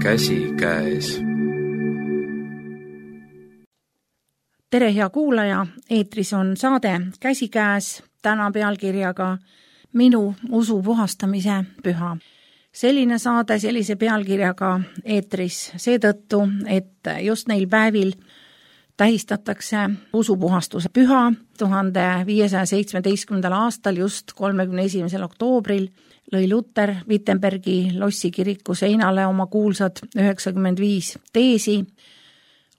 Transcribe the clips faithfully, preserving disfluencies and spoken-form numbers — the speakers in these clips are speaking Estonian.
käsikäes. Tere, hea kuulaja, eetris on saade Käsikäes, täna pealkirjaga Minu usu puhastamise püha. Selline saade sellise pealkirjaga eetris seetõttu, et just neil päevil tähistatakse usupuhastuse püha. tuhande viiesaja seitsmeteistkümnendal aastal, just kolmekümne esimesel oktoobril, lõi Luther Wittenbergi Lossi kiriku seinale oma kuulsad üheksakümmend viis teesi.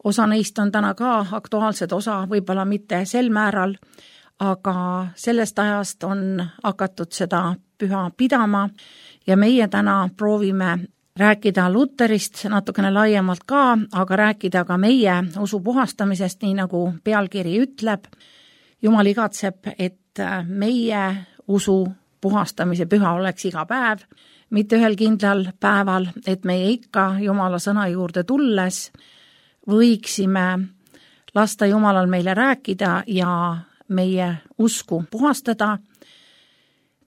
Osa neist on täna ka aktuaalsed, osa võib-olla mitte sel määral, aga sellest ajast on hakatud seda püha pidama ja meie täna proovime rääkida Lutherist natukene laiemalt ka, aga rääkida ka meie usu puhastamisest, nii nagu pealkiri ütleb. Jumal igatseb, et meie usu puhastamise püha oleks iga päev, mitte ühel kindlal päeval, et meie ikka Jumala sõna juurde tulles võiksime lasta Jumalal meile rääkida ja meie usku puhastada.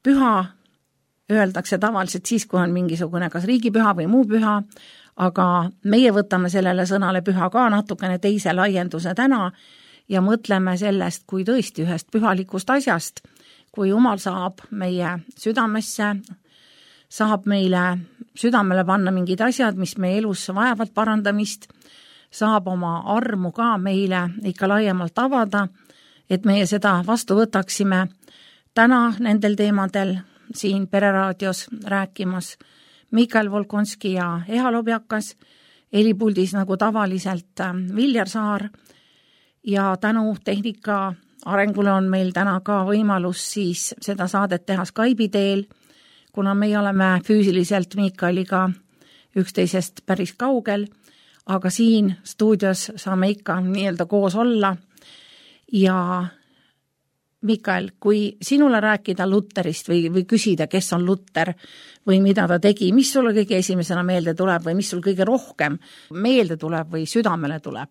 Püha öeldakse tavaliselt siis, kui on mingisugune kas riigipüha või muu püha, aga meie võtame sellele sõnale püha ka natukene teise laienduse täna ja mõtleme sellest kui tõesti ühest pühalikust asjast, kui Jumal saab meie südamesse, saab meile südamele panna mingid asjad, mis meie elus vajavad parandamist, saab oma armu ka meile ikka laiemalt avada, et meie seda vastu võtaksime. Täna nendel teemadel siin Pereraadios rääkimas Mikael Volkonski ja Eha Lobjakas, helipuldis nagu tavaliselt Viljar Saar ja tänu tehnika arengule on meil täna ka võimalus siis seda saadet teha Skype'i teel, kuna meie oleme füüsiliselt Mikaeliga üksteisest päris kaugel, aga siin stuudios saame ikka nii-öelda koos olla. Ja Mikael, kui sinule rääkida Lutherist või, või küsida, kes on Luther või mida ta tegi, mis sulle kõige esimesena meelde tuleb või mis sul kõige rohkem meelde tuleb või südamele tuleb?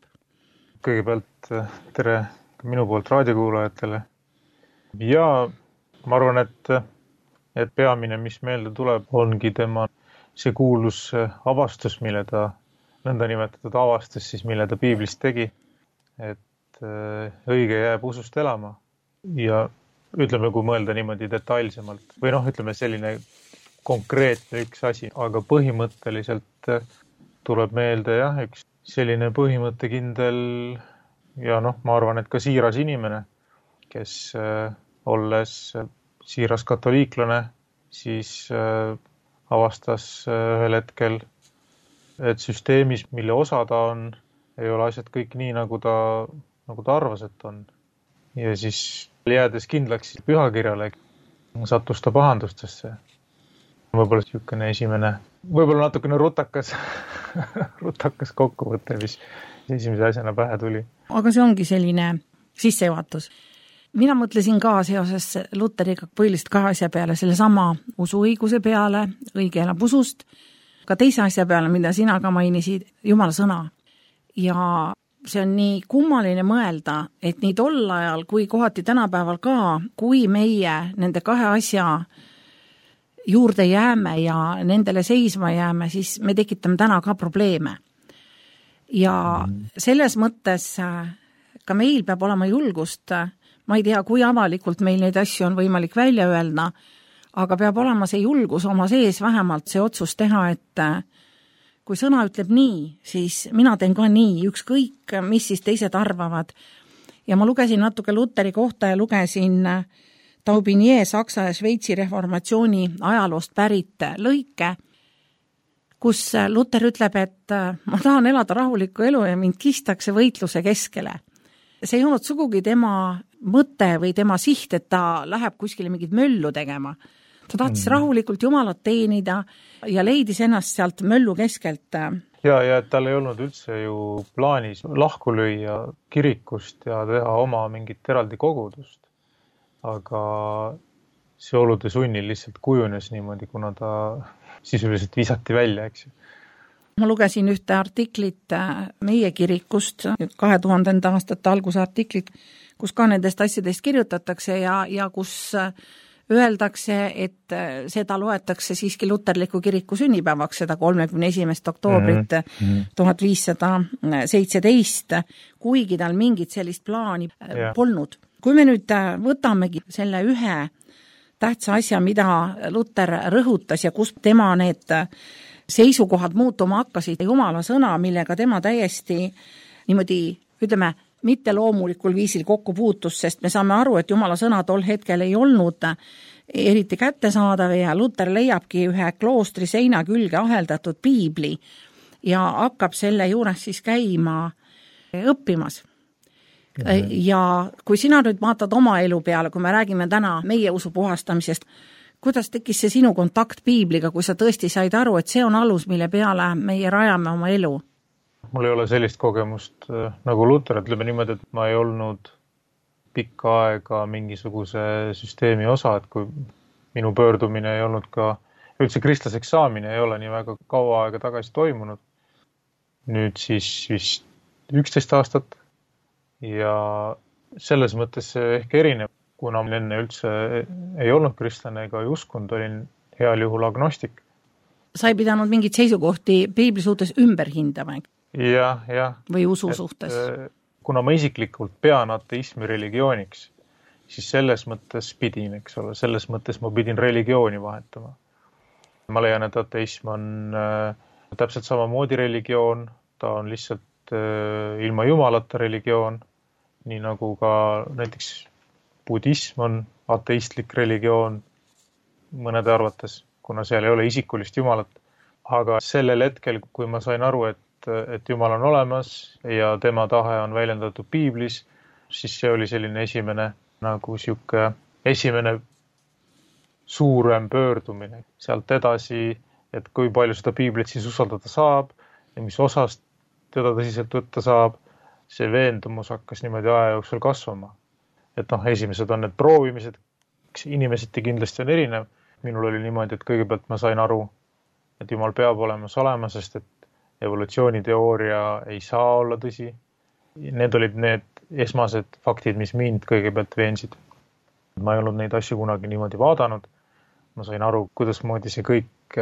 Kõigepealt tere minu poolt raadiokuulajatele. Ja ma arvan, et, et peamine, mis meelde tuleb, ongi tema see kuulus avastus, mille ta nõnda nimetatud avastus, siis mille ta piiblist tegi, et õige jääb usust elama. Ja ütleme, kui mõelda niimoodi detailsemalt, või noh, ütleme selline konkreetne üks asi, aga põhimõtteliselt tuleb meelde jah, üks selline põhimõttekindel ja noh, ma arvan, et ka siiras inimene, kes olles siiras katoliiklane, siis avastas ühel hetkel, et süsteemis, mille osa ta on, ei ole asjad kõik nii, nagu ta, nagu ta arvas, et on. Ja siis jäädes kindlaks pühakirjale, sattus ta pahandustesse. Võib-olla siukene esimene, võib-olla natukene rutakas, rutakas kokkuvõte, mis esimese asjana pähe tuli. Aga see ongi selline sissejuhatus. Mina mõtlesin ka seoses Luteriga põhilist kahe asja peale, selle sama usuõiguse peale, õige elab usust, ka teise asja peale, mida sina ka mainisid, Jumala sõna. Ja see on nii kummaline mõelda, et nii tol ajal kui kohati tänapäeval ka, kui meie nende kahe asja juurde jääme ja nendele seisma jääme, siis me tekitame täna ka probleeme. Ja selles mõttes ka meil peab olema julgust, ma ei tea, kui avalikult meil neid asju on võimalik välja öelda, aga peab olema see julgus oma sees vähemalt see otsus teha, et kui sõna ütleb nii, siis mina teen ka nii, ükskõik, mis siis teised arvavad. Ja ma lugesin natuke Lutheri kohta ja lugesin Taubinier Saksa ja Šveitsi reformatsiooni ajaloost pärit lõike, kus Luther ütleb, et ma tahan elada rahulikku elu ja mind kistakse võitluse keskele. See ei olnud sugugi tema mõte või tema siht, et ta läheb kuskile mingit möllu tegema. Ta tahtis mm. rahulikult Jumalat teenida ja leidis ennast sealt möllu keskelt. Ja, ja et tal ei olnud üldse ju plaanis lahku lüüa kirikust ja teha oma mingit eraldi kogudust. Aga see olude sunnil lihtsalt kujunes niimoodi, kuna ta sisuliselt visati välja, eks ju. Ma lugesin ühte artiklit meie kirikust, kahe tuhandenda aastate alguse artiklit, kus ka nendest asjadest kirjutatakse ja, ja kus öeldakse, et seda loetakse siiski luterliku kiriku sünnipäevaks, seda kolmekümne esimest oktoobrit tuhat viissada seitseteist, kuigi tal mingit sellist plaani yeah. polnud. Kui me nüüd võtamegi selle ühe tähtsa asja, mida Luter rõhutas ja kus tema need seisukohad muutuma hakkasid, Jumala sõna, millega tema täiesti niimoodi, ütleme, mitte loomulikul viisil kokku puutus, sest me saame aru, et Jumala sõna tol hetkel ei olnud eriti kättesaadav ja Luter leiabki ühe kloostri seina külge aheldatud piibli ja hakkab selle juures siis käima õppimas. Mm-hmm. Ja kui sina nüüd vaatad oma elu peale, kui me räägime täna meie usu puhastamisest, kuidas tekkis see sinu kontakt piibliga, kui sa tõesti said aru, et see on alus, mille peale meie rajame oma elu? Mul ei ole sellist kogemust nagu Luter, ütleme niimoodi, et ma ei olnud pikka aega mingisuguse süsteemi osa, et kui minu pöördumine ei olnud ka, üldse kristlaseks saamine ei ole nii väga kaua aega tagasi toimunud. Nüüd siis vist üksteist aastat ja selles mõttes see ehk erinev, kuna ma enne üldse ei olnud kristlane ega ei uskunud, olin heal juhul agnostik. Sa ei pidanud mingit seisukohti piibli suhtes ümber hindama? Ja, ja. Või usu et, suhtes? Kuna ma isiklikult pean ateismi religiooniks, siis selles mõttes pidin, eks ole, selles mõttes ma pidin religiooni vahetama. Ma leian, et ateism on äh, täpselt samamoodi religioon, ta on lihtsalt äh, ilma jumalata religioon, nii nagu ka näiteks budism on ateistlik religioon mõnede arvates, kuna seal ei ole isikulist jumalat. Aga sellel hetkel, kui ma sain aru, et et Jumal on olemas ja tema tahe on väljendatud piiblis, siis see oli selline esimene, nagu siuke esimene suurem pöördumine. Sealt edasi, et kui palju seda piiblit siis usaldada saab ja mis osast teda tõsiselt võtta saab, see veendumus hakkas niimoodi aja jooksul kasvama. Et noh, esimesed on need proovimised, inimeseti kindlasti on erinev. Minul oli niimoodi, et kõigepealt ma sain aru, et Jumal peab olemas olema, sest et evolutsiooniteooria ei saa olla tõsi. Need olid need esmased faktid, mis mind kõigepealt veensid. Ma ei olnud neid asju kunagi niimoodi vaadanud. Ma sain aru, kuidas moodi see kõik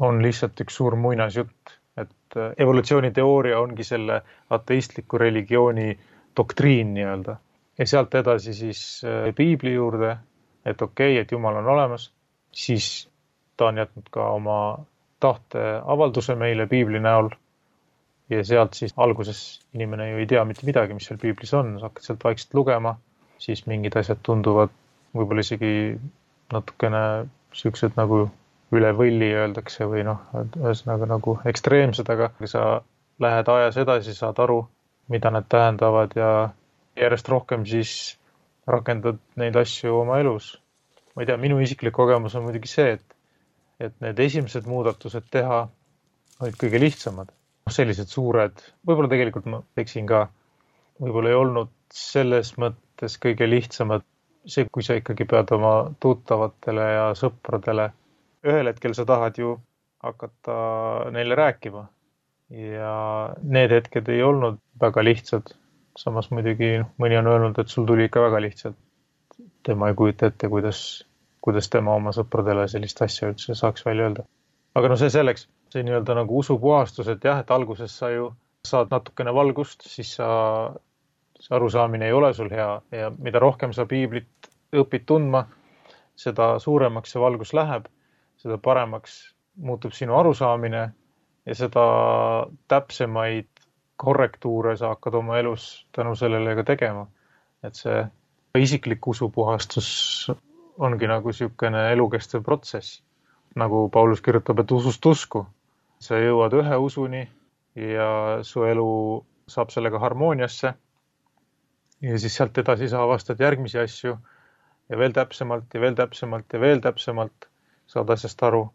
on lihtsalt üks suur muinasjutt. Et evolutsiooniteooria ongi selle ateistliku religiooni doktriin nii-öelda. Ja sealt edasi siis piibli juurde, et okei, et Jumal on olemas, siis ta on jätnud ka oma tahte avalduse meile piibli näol ja sealt siis alguses inimene ju ei tea mitte midagi, mis seal piiblis on, sa hakkad sealt vaikselt lugema, siis mingid asjad tunduvad võib-olla isegi natukene siuksed nagu üle võlli öeldakse või noh, ühesõnaga nagu ekstreemsed, aga kui sa lähed ajas edasi, saad aru, mida need tähendavad ja järjest rohkem siis rakendad neid asju oma elus. Ma ei tea, minu isiklik kogemus on muidugi see, et et need esimesed muudatused teha olid kõige lihtsamad. Sellised suured, võib-olla tegelikult ma teksin ka, võib-olla ei olnud selles mõttes kõige lihtsamad. See, kui sa ikkagi pead oma tuttavatele ja sõpradele, ühel hetkel sa tahad ju hakata neile rääkima. Ja need hetked ei olnud väga lihtsad. Samas muidugi mõni on öelnud, et sul tuli ikka väga lihtsalt. Tema ei kujuta ette, kuidas kuidas tema oma sõpradele sellist asja üldse saaks välja öelda. Aga no see selleks, see nii-öelda nagu usupuhastus, et jah, et alguses sa ju saad natukene valgust, siis sa, see arusaamine ei ole sul hea ja mida rohkem sa piiblit õpid tundma, seda suuremaks see valgus läheb, seda paremaks muutub sinu arusaamine ja seda täpsemaid korrektuure sa hakkad oma elus tänu sellele ka tegema. Et see isiklik usupuhastus ongi nagu siukene elukestev protsess. Nagu Paulus kirjutab, et usust usku. Sa jõuad ühe usuni ja su elu saab sellega harmooniasse. Ja siis sealt edasi sa avastad järgmisi asju ja veel täpsemalt ja veel täpsemalt ja veel täpsemalt saad asjast aru.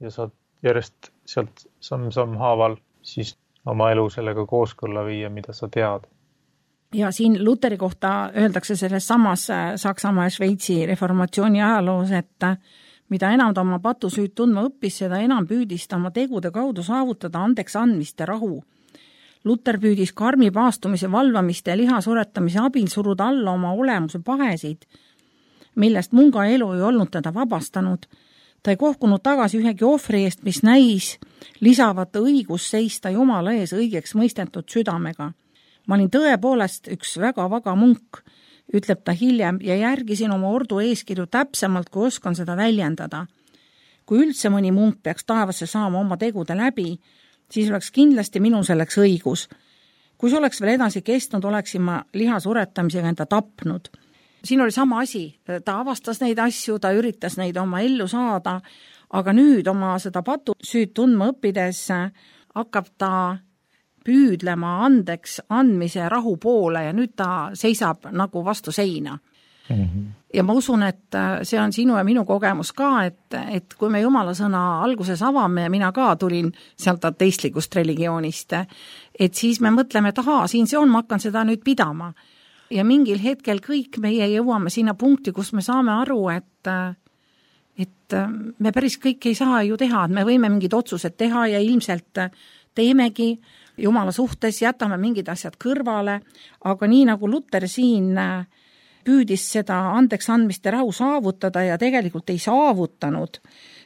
Ja saad järjest sealt samm-samm haaval siis oma elu sellega kooskõlla viia, mida sa tead. Ja siin Luteri kohta öeldakse selles samas Saksamaa ja Šveitsi reformatsiooni ajaloos, et mida enam ta oma patusüüd tundma õppis, seda enam püüdis ta oma tegude kaudu saavutada andeks andmist ja rahu. Luter püüdis karmi paastumise valvamiste ja lihasuretamise abil suruda alla oma olemuse pahesid. millest munga elu ei olnud teda vabastanud. Ta ei kohkunud tagasi ühegi ohvri eest, mis näis lisavat õigus seista Jumala ees õigeks mõistetud südamega. Ma olin tõepoolest üks väga vaga munk, ütleb ta hiljem, ja järgisin oma ordu eeskirju täpsemalt, kui oskan seda väljendada. Kui üldse mõni munk peaks taevasse saama oma tegude läbi, siis oleks kindlasti minu selleks õigus. Kui see oleks veel edasi kestnud, oleksin ma lihasuretamisega enda tapnud. Siin oli sama asi, ta avastas neid asju, ta üritas neid oma ellu saada, aga nüüd oma seda patusüüd tundma õppides hakkab ta püüdlema andeks andmise rahu poole ja nüüd ta seisab nagu vastu seina. Mm-hmm. Ja ma usun, et see on sinu ja minu kogemus ka, et, et kui me Jumala sõna alguses avame ja mina ka tulin sealt ateistlikust religioonist, et siis me mõtleme, et ahaa, siin see on, ma hakkan seda nüüd pidama. Ja mingil hetkel kõik meie jõuame sinna punkti, kus me saame aru, et, et me päris kõik ei saa ju teha, et me võime mingid otsused teha ja ilmselt teemegi Jumala suhtes, jätame mingid asjad kõrvale, aga nii nagu Luter siin püüdis seda andeks andmist ja rahu saavutada ja tegelikult ei saavutanud,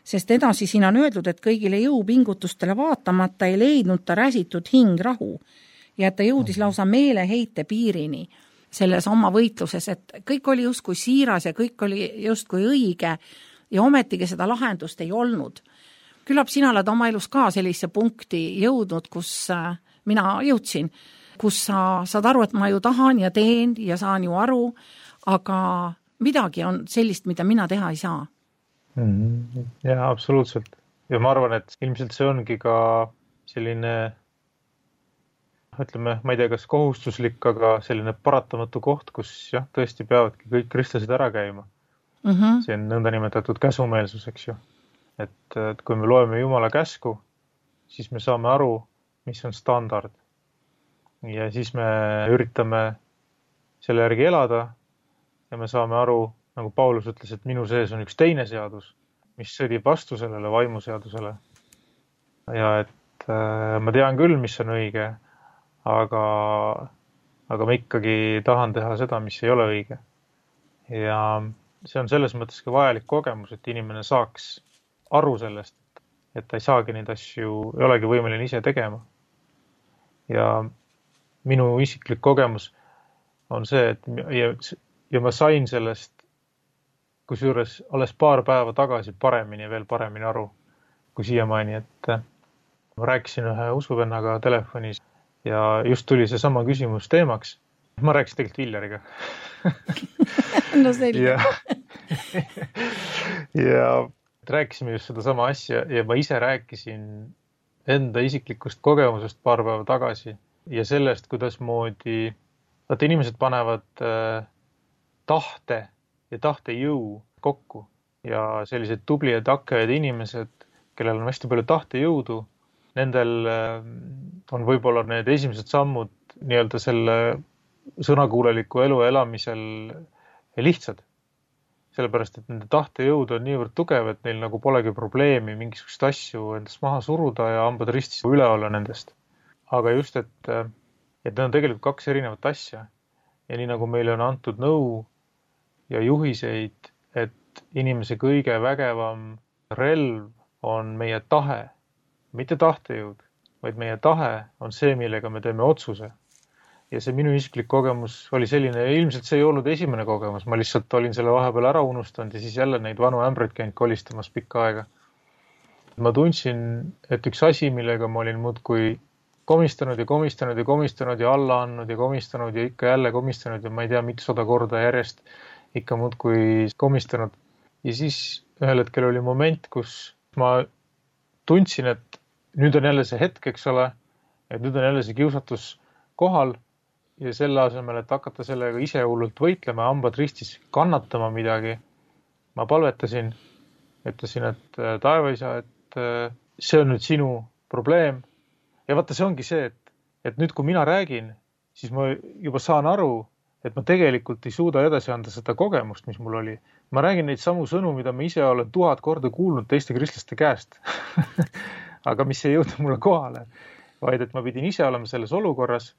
sest edasi siin on öeldud, et kõigile jõupingutustele vaatamata ei leidnud ta räsitud hing rahu ja et ta jõudis lausa meeleheite piirini selles oma võitluses, et kõik oli justkui siiras ja kõik oli justkui õige ja ometigi seda lahendust ei olnud. Küllap sina oled oma elus ka sellise punkti jõudnud, kus mina jõudsin, kus sa saad aru, et ma ju tahan ja teen ja saan ju aru, aga midagi on sellist, mida mina teha ei saa. Mm-hmm. Ja, absoluutselt. Ja ma arvan, et ilmselt see ongi ka selline, ütleme, ma ei tea, kas kohustuslik, aga selline paratamatu koht, kus jah, tõesti peavadki kõik kristlased ära käima. Mm-hmm. See on nõnda nimetatud käsumeelsus, eks ju. Et, et kui me loeme Jumala käsku, siis me saame aru, mis on standard. Ja siis me üritame selle järgi elada ja me saame aru, nagu Paulus ütles, et minu sees on üks teine seadus, mis sõdib vastu sellele vaimuseadusele. Ja et äh, ma tean küll, mis on õige, aga, aga ma ikkagi tahan teha seda, mis ei ole õige. Ja see on selles mõttes ka vajalik kogemus, et inimene saaks aru sellest, et ta ei saagi neid asju, ei olegi võimeline ise tegema. Ja minu isiklik kogemus on see, et ja, ja ma sain sellest, kusjuures alles paar päeva tagasi paremini, veel paremini aru kui siiamaani, et ma rääkisin ühe usuvennaga telefonis ja just tuli see sama küsimus teemaks. Ma rääkisin tegelikult Villeriga. No selge. ja, ja rääkisime just seda sama asja ja ma ise rääkisin enda isiklikust kogemusest paar päeva tagasi ja sellest, kuidas moodi, vaata inimesed panevad äh, tahte ja tahtejõu kokku ja sellised tubli ja takkajad inimesed, kellel on hästi palju tahtejõudu, nendel äh, on võib-olla need esimesed sammud nii-öelda selle sõnakuuleliku elu elamisel lihtsad. Sellepärast, et nende tahtejõud on niivõrd tugev, et neil nagu polegi probleemi mingisugust asju endast maha suruda ja hambad ristis üle olla nendest. Aga just, et, et need on tegelikult kaks erinevat asja. Ja nii nagu meile on antud nõu ja juhiseid, et inimese kõige vägevam relv on meie tahe, mitte tahtejõud, vaid meie tahe on see, millega me teeme otsuse. Ja see minu isiklik kogemus oli selline, ja ilmselt see ei olnud esimene kogemus, ma lihtsalt olin selle vahepeal ära unustanud ja siis jälle neid vanu ämbreid käinud kolistamas pikka aega. Ma tundsin, et üks asi, millega ma olin muudkui komistanud ja komistanud ja komistanud ja alla andnud ja komistanud ja ikka jälle komistanud ja ma ei tea, mitusada korda järjest ikka muudkui komistanud. Ja siis ühel hetkel oli moment, kus ma tundsin, et nüüd on jälle see hetk, eks ole, et nüüd on jälle see kiusatus kohal ja selle asemel, et hakata sellega ise hullult võitlema, hambad ristis kannatama midagi. Ma palvetasin, ütlesin, et taevaisa, et see on nüüd sinu probleem. Ja vaata, see ongi see, et, et nüüd, kui mina räägin, siis ma juba saan aru, et ma tegelikult ei suuda edasi anda seda kogemust, mis mul oli. Ma räägin neid samu sõnu, mida ma ise olen tuhat korda kuulnud teiste kristlaste käest. Aga mis ei jõudnud mulle kohale, vaid et ma pidin ise olema selles olukorras.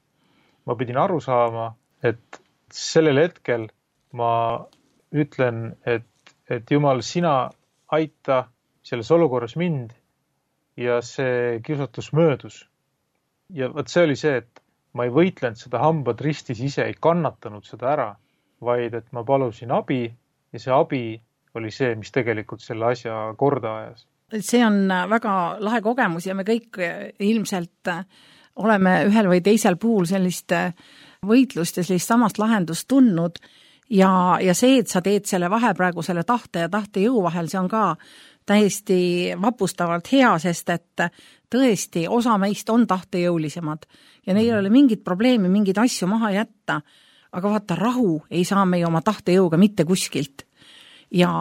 Ma pidin aru saama, et sellel hetkel ma ütlen, et, et Jumal, sina aita selles olukorras mind ja see kiusatus möödus. Ja võt see oli see, et ma ei võitlenud seda hambad ristis ise, ei kannatanud seda ära, vaid et ma palusin abi ja see abi oli see, mis tegelikult selle asja korda ajas. See on väga lahe kogemus ja me kõik ilmselt oleme ühel või teisel puhul sellist võitlust ja sellist samast lahendust tundnud ja, ja see, et sa teed selle vahe praegu selle tahte ja tahte jõu vahel, see on ka täiesti vapustavalt hea, sest et tõesti osa meist on tahtejõulisemad ja neil ei ole mingit probleemi, mingeid asju maha jätta, aga vaata, rahu ei saa meie oma tahtejõuga mitte kuskilt ja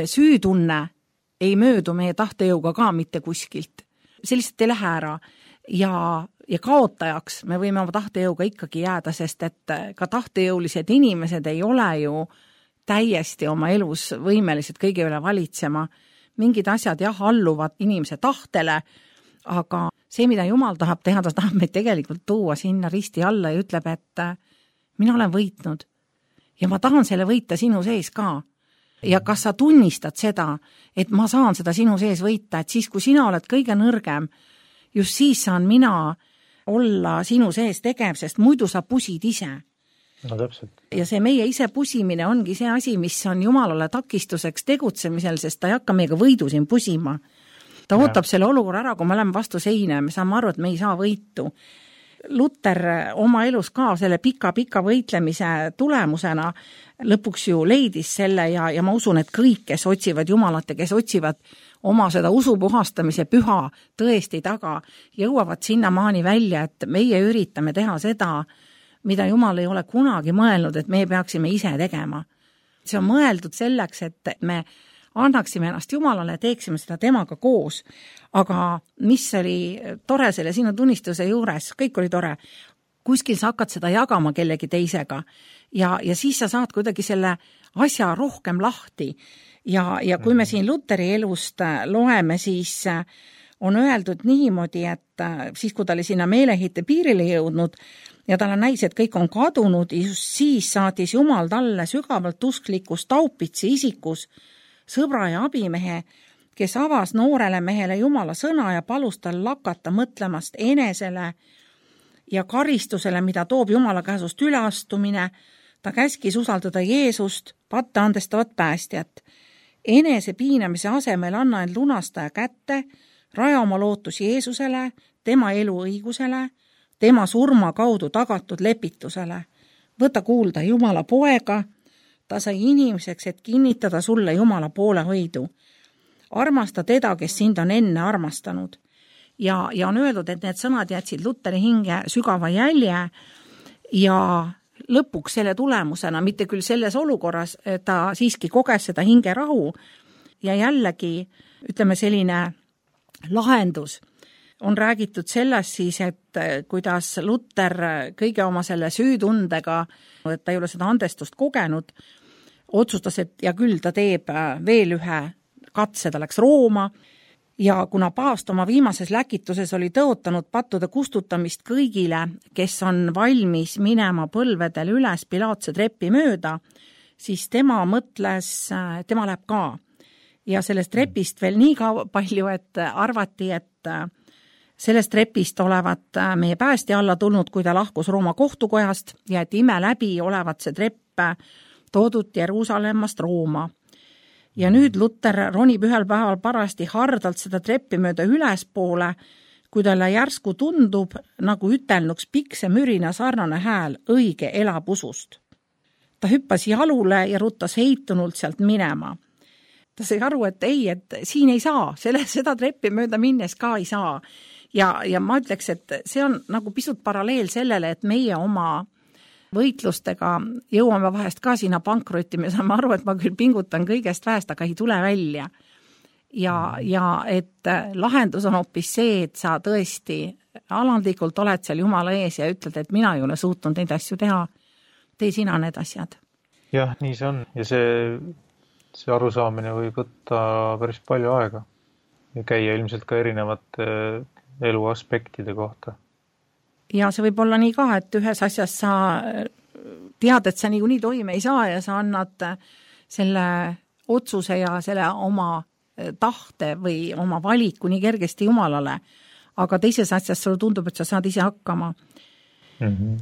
süütunne ei möödu meie tahtejõuga ka mitte kuskilt. See lihtsalt ei lähe ära ja, ja kaotajaks me võime oma tahtejõuga ikkagi jääda, sest et ka tahtejõulised inimesed ei ole ju täiesti oma elus võimelised kõige üle valitsema. Mingid asjad jah, alluvad inimese tahtele, aga see, mida Jumal tahab teha, ta tahab meid tegelikult tuua sinna risti alla ja ütleb, et mina olen võitnud ja ma tahan selle võita sinu sees ka. Ja kas sa tunnistad seda, et ma saan seda sinu sees võita, et siis, kui sina oled kõige nõrgem, just siis saan mina olla sinu sees tegev, sest muidu sa pusid ise. No täpselt. Ja see meie ise pusimine ongi see asi, mis on Jumalale takistuseks tegutsemisel, sest ta ei hakka meiega võidu siin pusima. Ta ja. ootab selle olukorra ära, kui me oleme vastu seina ja me saame aru, et me ei saa võitu. Luter oma elus ka selle pika-pika võitlemise tulemusena lõpuks ju leidis selle ja, ja ma usun, et kõik, kes otsivad Jumalat ja kes otsivad oma seda usu puhastamise püha tõesti taga, jõuavad sinna maani välja, et meie üritame teha seda, mida Jumal ei ole kunagi mõelnud, et me peaksime ise tegema. See on mõeldud selleks, et me annaksime ennast Jumalale, teeksime seda temaga koos. Aga mis oli tore selle sinu tunnistuse juures, kõik oli tore, kuskil sa hakkad seda jagama kellegi teisega ja, ja siis sa saad kuidagi selle asja rohkem lahti. Ja, ja kui me siin Luteri elust loeme, siis on öeldud niimoodi, et siis, kui ta oli sinna meelehite piirile jõudnud ja talle näis, et kõik on kadunud, just siis saatis Jumal talle sügavalt usklikus taupitsi isikus sõbra ja abimehe, kes avas noorele mehele Jumala sõna ja palus tal lakata mõtlemast enesele ja karistusele, mida toob Jumala käsust üleastumine. Ta käskis usaldada Jeesust, patte andestavat päästjat. Enese piinamise asemel anna end lunastaja kätte, raja oma lootus Jeesusele, tema elu õigusele, tema surma kaudu tagatud lepitusele. Võta kuulda Jumala poega, ta sai inimeseks, et kinnitada sulle Jumala poole hoidu. Armasta teda, kes sind on enne armastanud. Ja, ja on öeldud, et need sõnad jätsid Luteri hinge sügava jälje ja lõpuks selle tulemusena, mitte küll selles olukorras, ta siiski koges seda hingerahu ja jällegi, ütleme selline lahendus. On räägitud sellest siis, et kuidas Luter kõige oma selle süütundega, et ta ei ole seda andestust kogenud, otsustas, et ja küll ta teeb veel ühe katse, ta läks Rooma ja kuna paavst oma viimases läkituses oli tõotanud pattude kustutamist kõigile, kes on valmis minema põlvedel üles Pilaatse trepi mööda, siis tema mõtles, tema läheb ka. Ja sellest trepist veel nii ka palju, et arvati, et sellest trepist olevat meie päästja alla tulnud, kui ta lahkus Rooma kohtukojast ja et ime läbi olevat see trepp toodud Jeruusalemmast Rooma. Ja nüüd Luter ronib ühel päeval parasti hardalt seda treppi mööda ülespoole, kui talle järsku tundub, nagu ütelnuks pikse mürina sarnane hääl õige elab usust. Ta hüppas jalule ja ruttas heitunult sealt minema. Ta sai aru, et ei, et siin ei saa, selle, seda treppi mööda minnes ka ei saa. Ja, ja ma ütleks, et see on nagu pisut paralleel sellele, et meie oma võitlustega jõuame vahest ka sinna pankrotti, me saame aru, et ma küll pingutan kõigest väest, aga ei tule välja. Ja, ja et lahendus on hoopis see, et sa tõesti alandlikult oled seal Jumala ees ja ütled, et mina ei ole suutnud neid asju teha. Tee sina need asjad. Jah, nii see on. Ja see, see arusaamine võib võtta päris palju aega ja käia ilmselt ka erinevate elu aspektide kohta. Ja see võib olla nii ka, et ühes asjas sa tead, et sa niikuinii toime ei saa ja sa annad selle otsuse ja selle oma tahte või oma valiku nii kergesti Jumalale, aga teises asjas sulle tundub, et sa saad ise hakkama. Mm-hmm.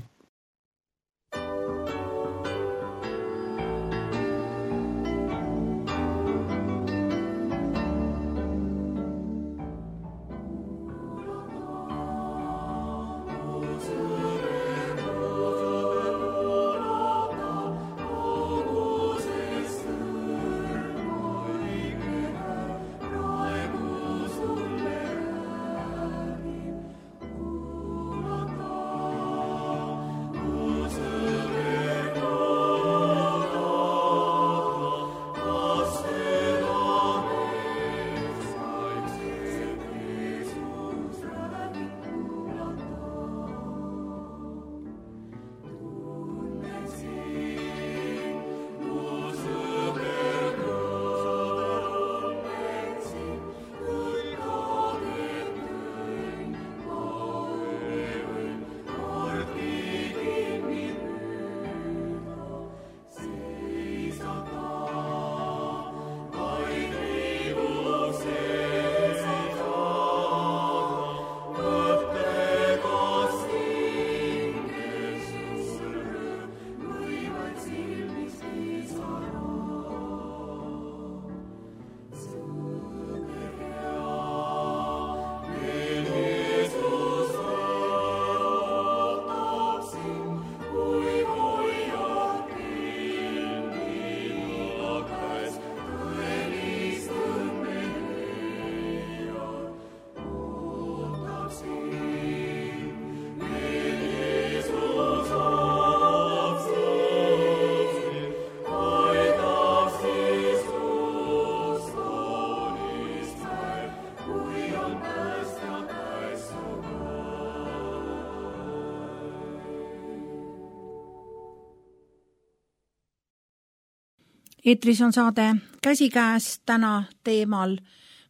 Eetris on saade Käsikäes, täna teemal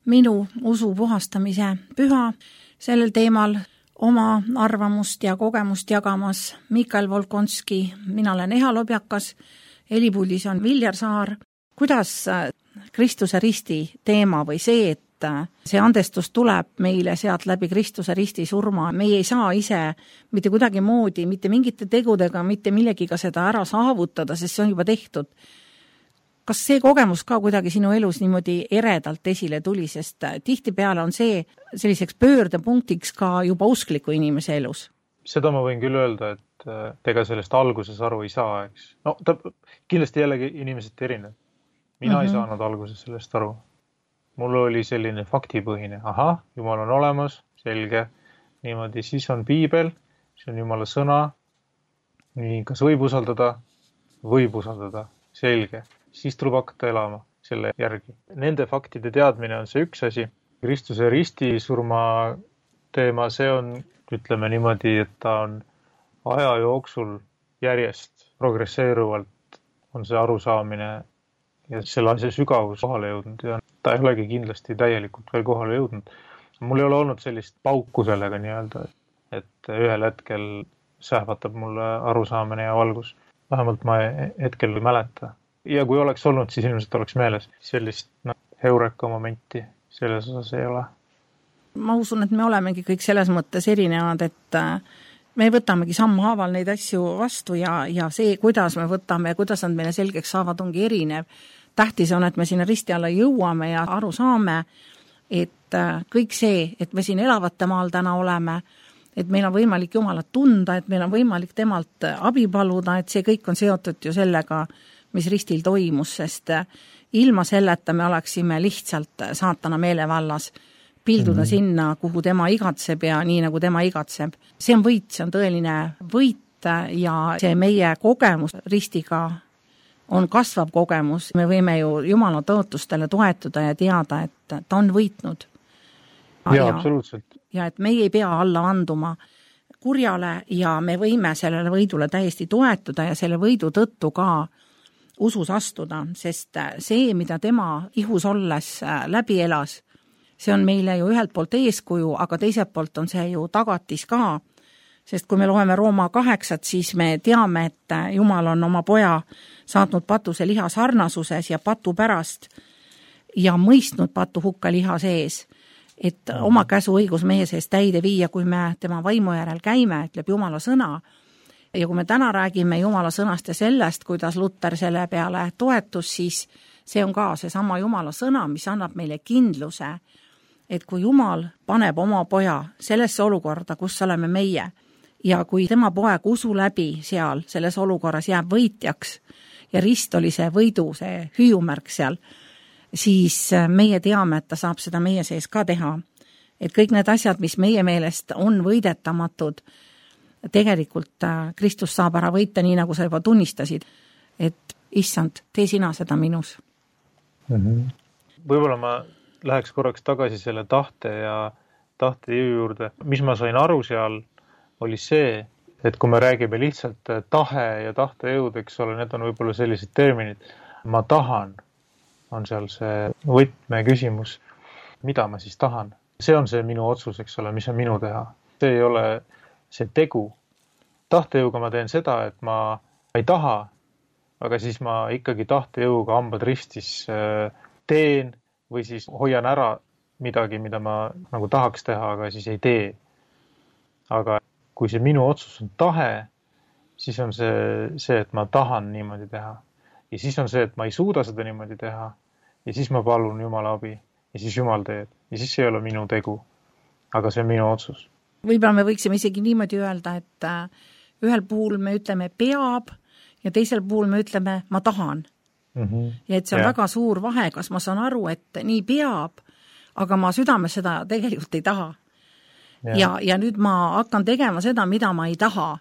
minu usu puhastamise püha. Sellel teemal oma arvamust ja kogemust jagamas Mikael Volkonski, mina olen Eha Lobjakas, helipuldis on Viljar Saar. Kuidas Kristuse risti teema või see, et see andestus tuleb meile sealt läbi Kristuse risti surma, meie ei saa ise mitte kuidagi moodi, mitte mingite tegudega, mitte millegiga seda ära saavutada, sest see on juba tehtud. Kas see kogemus ka kuidagi sinu elus niimoodi eredalt esile tuli, sest tihtipeale on see selliseks pöördepunktiks ka juba uskliku inimese elus? Seda ma võin küll öelda, et ega sellest alguses aru ei saa, eks. No ta, kindlasti jällegi inimesed erinev. Mina mm-hmm. ei saanud alguses sellest aru. Mul oli selline faktipõhine. Aha, Jumal on olemas, selge. Niimoodi, siis on piibel, see on Jumala sõna. Nii, kas võib usaldada? Võib usaldada, selge. Siis tuleb hakata elama selle järgi. Nende faktide teadmine on see üks asi. Kristuse risti surma teema, see on, ütleme niimoodi, et ta on aja jooksul järjest progresseeruvalt on see arusaamine ja selle asja sügavus kohale jõudnud ja ta ei olegi kindlasti täielikult veel kohale jõudnud. Mul ei ole olnud sellist pauku sellega nii-öelda, et ühel hetkel sähvatab mulle arusaamine ja valgus. Vähemalt ma hetkel ei mäleta. Ja kui oleks olnud, siis ilmselt oleks meeles. Sellist no, heureka momenti selles osas ei ole. Ma usun, et me olemegi kõik selles mõttes erinevad, et me võtamegi sammhaaval neid asju vastu ja, ja see, kuidas me võtame ja kuidas nad meile selgeks saavad, ongi erinev. Tähtis on, et me sinna risti alla jõuame ja aru saame, et kõik see, et me siin elavate maal täna oleme, et meil on võimalik Jumalat tunda, et meil on võimalik temalt abi paluda, et see kõik on seotud ju sellega, mis ristil toimus, sest ilma selleta me oleksime lihtsalt saatana meelevallas pilduda mm-hmm. sinna, kuhu tema igatseb ja nii nagu tema igatseb. See on võit, see on tõeline võit ja see meie kogemus ristiga on kasvav kogemus. Me võime ju Jumala tõotustele toetuda ja teada, et ta on võitnud. Ja, ja, absoluutselt. Ja et meie ei pea alla anduma kurjale ja me võime sellele võidule täiesti toetuda ja selle võidu tõttu ka usus astuda, sest see, mida tema ihus olles läbi elas, see on meile ju ühelt poolt eeskuju, aga teiselt poolt on see ju tagatis ka Sest kui me loeme Rooma kaheksat, siis me teame, et Jumal on oma poja saatnud patuse liha sarnasuses ja patu pärast ja mõistnud patu hukka liha sees, et oma käsu õigus meie sees täide viia, kui me tema vaimu järel käime, ütleb Jumala sõna. Ja kui me täna räägime Jumala sõnast ja sellest, kuidas Luter selle peale toetus, siis see on ka see sama Jumala sõna, mis annab meile kindluse, et kui Jumal paneb oma poja sellesse olukorda, kus oleme meie, ja kui tema poeg usu läbi seal selles olukorras jääb võitjaks ja rist oli see võidu, see hüüumärk seal, siis meie teame, et ta saab seda meie sees ka teha. Et kõik need asjad, mis meie meelest on võidetamatud, tegelikult Kristus saab ära võita, nii nagu sa juba tunnistasid, et issand, tee sina seda minus. Mm-hmm. Võib-olla ma läheks korraks tagasi selle tahte ja tahte jõu juurde. Mis ma sain aru seal, oli see, et kui me räägime lihtsalt tahe ja tahte jõud, eks ole, need on võib-olla sellised terminid. Ma tahan on seal see võtme küsimus, mida ma siis tahan. See on see minu otsus, eks ole, mis on minu teha. See ei ole see tegu. Tahtejõuga ma teen seda, et ma ei taha, aga siis ma ikkagi tahtejõuga hambad ristis teen või siis hoian ära midagi, mida ma nagu tahaks teha, aga siis ei tee. Aga kui see minu otsus on tahe, siis on see, see, et ma tahan niimoodi teha. Ja siis on see, et ma ei suuda seda niimoodi teha ja siis ma palun Jumala abi ja siis Jumal teeb. Ja siis see ei ole minu tegu, aga see on minu otsus. Võib-olla me võiksime isegi niimoodi öelda, et ühel puhul me ütleme peab ja teisel puhul me ütleme ma tahan. Mm-hmm. Ja et see on ja. Väga suur vahe, kas ma saan aru, et nii peab, aga ma südames seda tegelikult ei taha. Ja, ja, ja nüüd ma hakkan tegema seda, mida ma ei taha.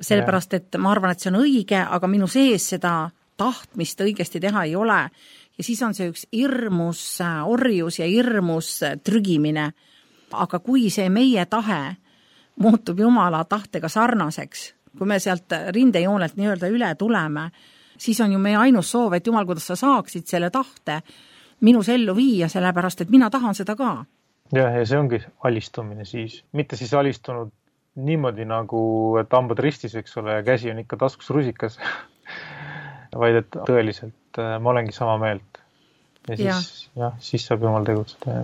Sellepärast, et ma arvan, et see on õige, aga minu sees seda tahtmist õigesti teha ei ole. Ja siis on see üks hirmus orjus ja hirmus trügimine. Aga kui see meie tahe muutub Jumala tahtega sarnaseks, kui me sealt rindejoonelt nii-öelda üle tuleme, siis on ju meie ainus soov, et Jumal, kuidas sa saaksid selle tahte minus ellu viia, sellepärast, et mina tahan seda ka. Ja, ja see ongi alistumine siis. Mitte siis alistunud niimoodi nagu, et hambad ristis, eks ole, ja käsi on ikka taskus rusikas, vaid et tõeliselt ma olengi sama meelt. Ja siis, ja. Ja, siis saab Jumal tegutseda.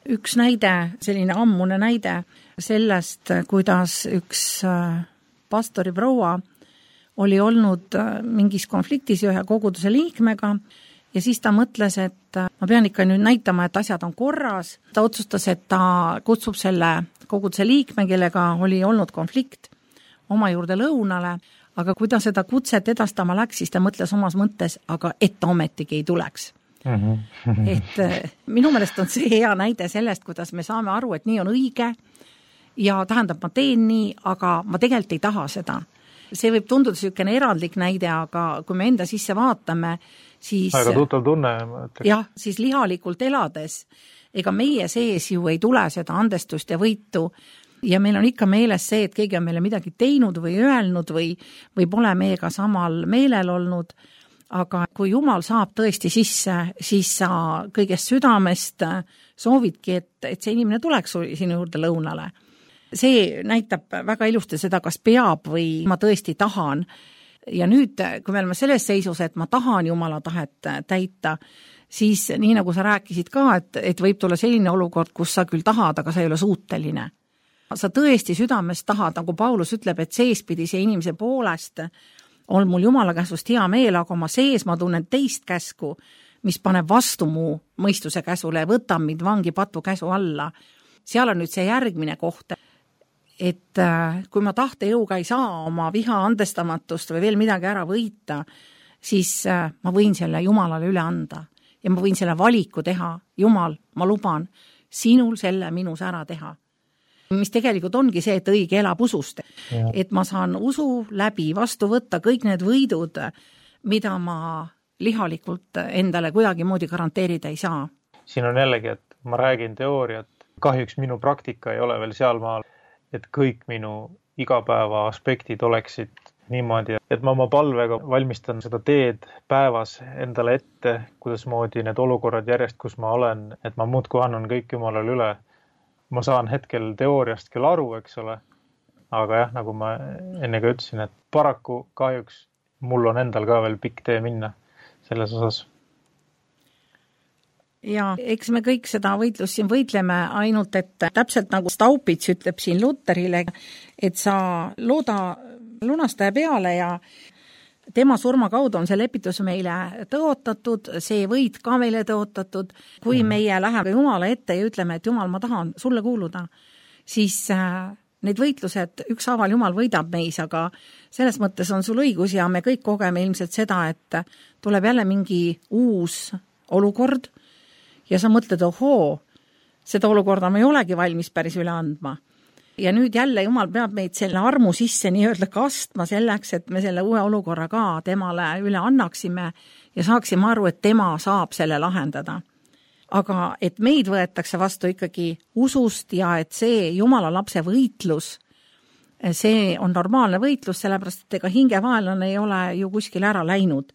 Üks näide, selline ammune näide sellest, kuidas üks pastori proua oli olnud mingis konfliktis ühe koguduse liikmega ja siis ta mõtles, et ma pean ikka nüüd näitama, et asjad on korras. Ta otsustas, et ta kutsub selle koguduse liikme, kellega oli olnud konflikt oma juurde lõunale, aga kui ta seda kutset edastama läks, siis ta mõtles omas mõttes, aga et ta ometigi ei tuleks. Mm-hmm. et minu meelest on see hea näide sellest, kuidas me saame aru, et nii on õige ja tähendab, ma teen nii, aga ma tegelikult ei taha seda. See võib tunduda selline erandlik näide, aga kui me enda sisse vaatame, siis... Aga tuttav tunne. Jah, siis lihalikult elades, ega meie sees ju ei tule seda andestust ja võitu ja meil on ikka meeles see, et keegi on meile midagi teinud või öelnud või, või pole meiega samal meelel olnud, aga kui Jumal saab tõesti sisse, siis sa kõigest südamest soovidki, et, et see inimene tuleks sinu juurde lõunale. See näitab väga ilusti seda, kas peab või ma tõesti tahan. Ja nüüd, kui me oleme selles seisus, et ma tahan Jumala tahet täita, siis nii nagu sa rääkisid ka, et, et võib tulla selline olukord, kus sa küll tahad, aga sa ei ole suuteline. Sa tõesti südames tahad, nagu Paulus ütleb, et seespidise inimese poolest on mul Jumala käsust hea meel, aga oma sees ma tunnen teist käsku, mis paneb vastu mu mõistuse käsule ja võtab mind vangi patu käsu alla. Seal on nüüd see järgmine koht, et kui ma tahtejõuga ei saa oma viha andestamatust või veel midagi ära võita, siis ma võin selle Jumalale üle anda ja ma võin selle valiku teha. Jumal, ma luban sinul selle minus ära teha. Mis tegelikult ongi see, et õige elab usust. Ja. Et ma saan usu läbi vastu võtta kõik need võidud, mida ma lihalikult endale kuidagi moodi garanteerida ei saa. Siin on jällegi, et ma räägin teooriat. Kahjuks minu praktika ei ole veel seal maal, et kõik minu igapäeva aspektid oleksid niimoodi, et ma oma palvega valmistan seda teed päevas endale ette, kuidas moodi need olukorrad järjest, kus ma olen, et ma muudkui annan kõik Jumalale üle. Ma saan hetkel teooriast küll aru, eks ole, aga jah, nagu ma enne ka ütlesin, et paraku kahjuks mul on endal ka veel pikk tee minna selles osas. Ja eks me kõik seda võitlust siin võitleme, ainult et täpselt nagu Staupits ütleb siin Luterile, et sa looda lunastaja peale ja tema surma kaudu on see lepitus meile tõotatud, see võit ka meile tõotatud. Kui meie läheme Jumala ette ja ütleme, et Jumal, ma tahan sulle kuuluda, siis need võitlused ükshaaval Jumal võidab meis, aga selles mõttes on sul õigus ja me kõik kogeme ilmselt seda, et tuleb jälle mingi uus olukord ja sa mõtled, ohoo, seda olukorda ma ei olegi valmis päris üle andma. Ja nüüd jälle Jumal peab meid selle armu sisse nii-öelda kastma selleks, et me selle uue olukorra ka temale üle annaksime ja saaksime aru, et tema saab selle lahendada. Aga et meid võetakse vastu ikkagi usust ja et see Jumala lapse võitlus, see on normaalne võitlus, sellepärast et ega hingevaenlane ei ole ju kuskil ära läinud.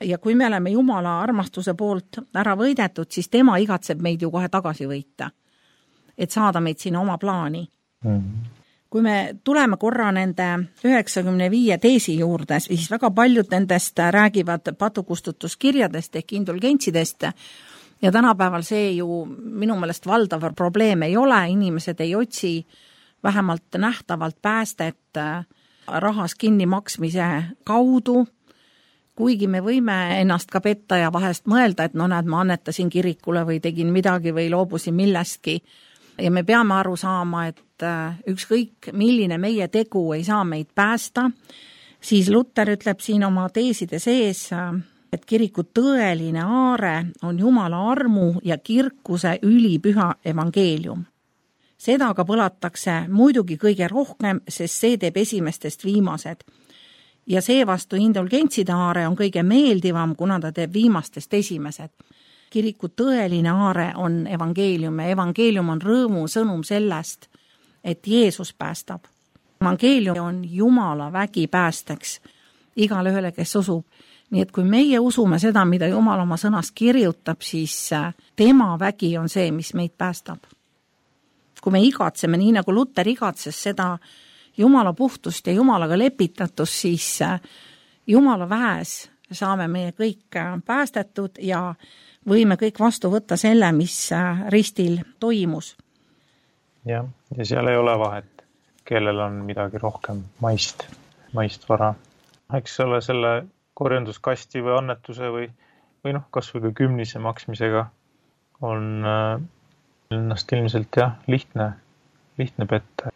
Ja kui me oleme Jumala armastuse poolt ära võidetud, siis tema igatseb meid ju kohe tagasi võita, et saada meid sinna oma plaani. Mm-hmm. Kui me tuleme korra nende üheksakümne viie teesi juurde, siis väga paljud nendest räägivad patukustutuskirjadest ehk indulgentsidest ja tänapäeval see ju minu meelest valdav probleem ei ole, inimesed ei otsi vähemalt nähtavalt päästet rahas kinni maksmise kaudu, kuigi me võime ennast ka petta ja vahest mõelda, et no näed, ma annetasin kirikule või tegin midagi või loobusin millestki. Ja me peame aru saama, et ükskõik milline meie tegu ei saa meid päästa, siis Luter ütleb siin oma teeside sees, et kiriku tõeline aare on Jumala armu ja kirkuse ülipüha evangeelium. Seda aga põlatakse muidugi kõige rohkem, sest see teeb esimestest viimased. Ja seevastu indulgentside aare on kõige meeldivam, kuna ta teeb viimastest esimesed. Kiriku tõeline aare on evangeelium ja evangeelium on rõõmu sõnum sellest, et Jeesus päästab. Evangeelium on Jumala vägi päästeks igale ühele, kes usub. Nii et kui meie usume seda, mida Jumal oma sõnas kirjutab, siis tema vägi on see, mis meid päästab. Kui me igatseme, nii nagu Luter igatses seda Jumala puhtust ja Jumalaga lepitatust, siis Jumala väes saame meie kõik päästetud ja võime kõik vastu võtta selle, mis ristil toimus. Ja, ja seal ei ole vahet, kellel on midagi rohkem maist, maist vara. Eks ole selle korjanduskasti või annetuse või, või noh, kas või ka kümnise maksmisega on ennast ilmselt jah, lihtne, lihtne petta.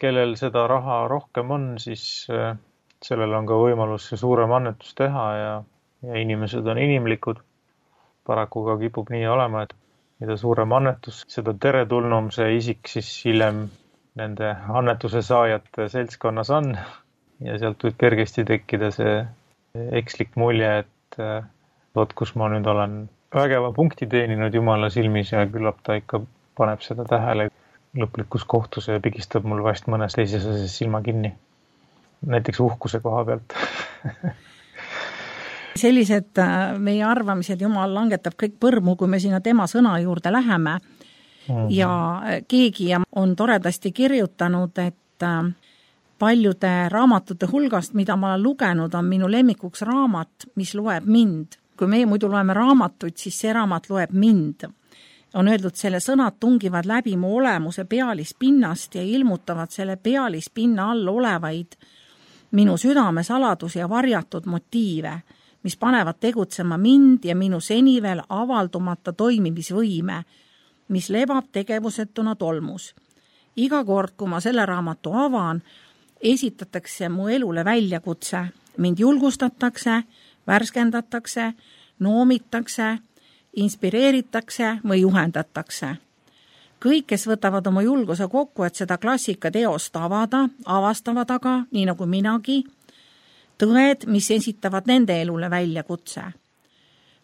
Kellel seda raha rohkem on, siis sellel on ka võimalus see suurem annetus teha ja, ja inimesed on inimlikud. Paraku ka kipub nii olema, et mida suurem annetus, seda teretulnum see isik siis hiljem nende annetuse saajate seltskonnas on ja sealt võib kergesti tekkida see ekslik mulje, et võt, kus ma nüüd olen vägeva punkti teeninud Jumala silmis ja küllap ta ikka paneb seda tähele lõplikus kohtus ja pigistab mul vast mõnes teises asjas silma kinni. Näiteks uhkuse koha pealt. Sellised meie arvamised Jumal langetab kõik põrmu, kui me sinna tema sõna juurde läheme. Mm-hmm. Ja keegi on toredasti kirjutanud, et paljude raamatute hulgast, mida ma olen lugenud, on minu lemmikuks raamat, mis loeb mind. Kui meie muidu loeme raamatuid, siis see raamat loeb mind. On öeldud, selle sõnad tungivad läbi mu olemuse pealispinnast ja ilmutavad selle pealispinna all olevaid minu südame saladus ja varjatud motiive, mis panevad tegutsema mind ja minu seni veel avaldumata toimimisvõime, mis lebab tegevusetuna tolmus. Iga kord, kui ma selle raamatu avan, esitatakse mu elule väljakutse, mind julgustatakse, värskendatakse, noomitakse, inspireeritakse või juhendatakse. Kõik, kes võtavad oma julguse kokku, et seda klassika teost avada, avastavad aga, nii nagu minagi, tõed, mis esitavad nende elule väljakutse.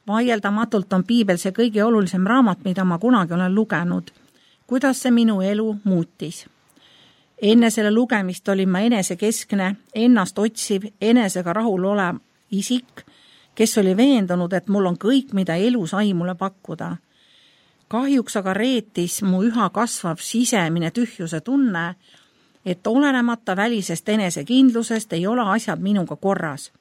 Vaieldamatult on Piibel see kõige olulisem raamat, mida ma kunagi olen lugenud. Kuidas see minu elu muutis? Enne selle lugemist olin ma enesekeskne, ennast otsiv, enesega rahul olev isik, kes oli veendunud, et mul on kõik, mida elu sai mulle pakkuda. Kahjuks aga reetis mu üha kasvav sisemine tühjuse tunne, et olenemata välisest enesekindlusest ei ole asjad minuga korras.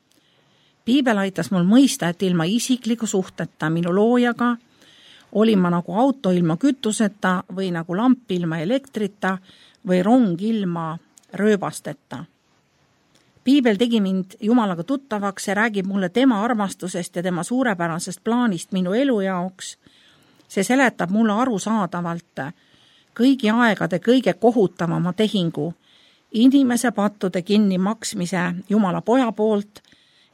Piibel aitas mul mõista, et ilma isikliku suhteta minu loojaga olin ma nagu auto ilma kütuseta või nagu lamp ilma elektrita või rong ilma rööbasteta. Piibel tegi mind Jumalaga tuttavaks ja räägib mulle tema armastusest ja tema suurepärasest plaanist minu elu jaoks. See seletab mulle arusaadavalt kõigi aegade kõige kohutavama tehingu, inimese pattude kinni maksmise Jumala poja poolt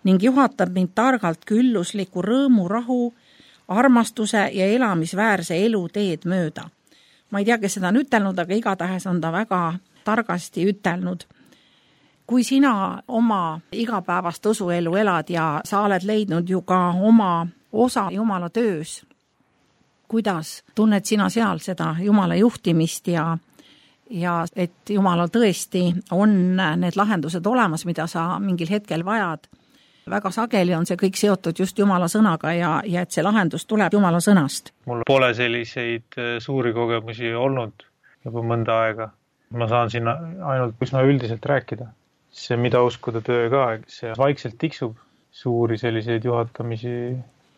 ning juhatab mind targalt küllusliku rõõmu, rahu, armastuse ja elamisväärse elu teed mööda. Ma ei tea, kes seda on ütelnud, aga igatahes on ta väga targasti ütelnud. Kui sina oma igapäevast usuelu elad ja sa oled leidnud ju ka oma osa Jumala töös, kuidas tunned sina seal seda Jumala juhtimist ja, ja et Jumalal tõesti on need lahendused olemas, mida sa mingil hetkel vajad. Väga sageli on see kõik seotud just Jumala sõnaga ja, ja et see lahendus tuleb Jumala sõnast. Mul pole selliseid suuri kogemusi olnud juba mõnda aega. Ma saan siin ainult üsna üldiselt rääkida. See mida uskuda töö ka, see vaikselt tiksub. Suuri selliseid juhatamisi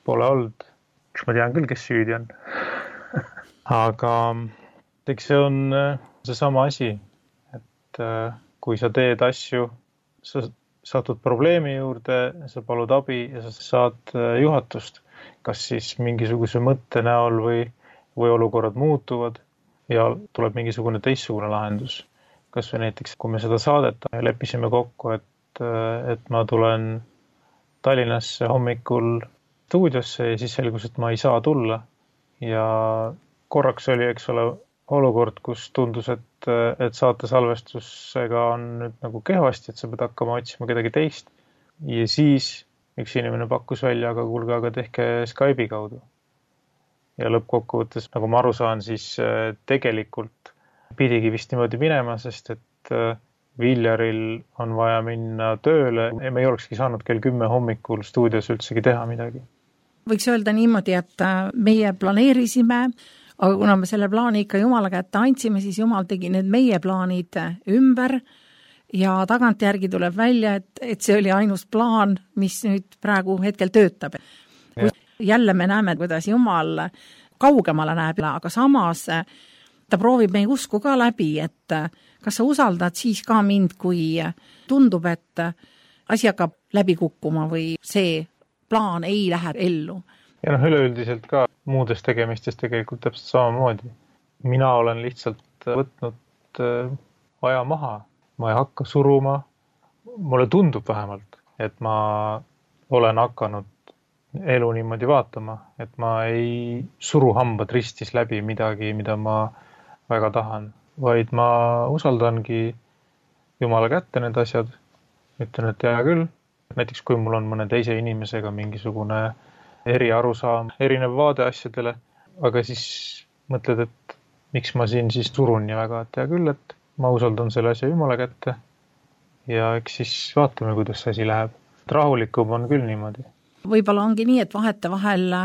pole olnud. Ma tean küll, kes süüdi on. Aga eks see on see sama asi, et kui sa teed asju, sa satud probleemi juurde, sa palud abi ja sa saad juhatust, kas siis mingisuguse mõtte näol või, või olukorrad muutuvad ja tuleb mingisugune teistsugune lahendus. Kas või näiteks, kui me seda saadet leppisime kokku, et, et ma tulen Tallinnasse hommikul stuudiosse ja siis selgus, et ma ei saa tulla. Ja korraks oli, eks ole, olukord, kus tundus, et, et saate salvestusega on nüüd nagu kehvasti, et sa pead hakkama otsima kedagi teist. Ja siis üks inimene pakkus välja, aga kuulge, aga tehke Skype'i kaudu. Ja lõppkokkuvõttes, nagu ma aru saan, siis tegelikult pidigi vist niimoodi minema, sest et Viljaril on vaja minna tööle. Me ei olekski saanud kell kümme hommikul stuudios üldsegi teha midagi. Võiks öelda niimoodi, et meie planeerisime, aga kuna me selle plaani ikka Jumala kätte andsime, siis Jumal tegi need meie plaanid ümber ja tagantjärgi tuleb välja, et, et see oli ainus plaan, mis nüüd praegu hetkel töötab. Ja. Jälle me näeme, kuidas Jumal kaugemale näeb, aga samas ta proovib meie usku ka läbi, et kas sa usaldad siis ka mind, kui tundub, et asi hakkab läbi kukkuma või see plaan ei lähe ellu. Ja noh, üleüldiselt ka muudes tegemistes tegelikult täpselt samamoodi. Mina olen lihtsalt võtnud aja maha. Ma ei hakka suruma. Mulle tundub vähemalt, et ma olen hakanud elu niimoodi vaatama, et ma ei suru hambad ristis läbi midagi, mida ma väga tahan, vaid ma usaldangi Jumala kätte need asjad. Ütlen, et hea küll. Näiteks kui mul on mõne teise inimesega mingisugune eri arusaam, erinev vaade asjadele, aga siis mõtled, et miks ma siin siis surun nii väga, et hea küll, et ma usaldan selle asja Jumala kätte ja eks siis vaatame, kuidas see asi läheb. Rahulikum on küll niimoodi. Võib-olla ongi nii, et vahete vahel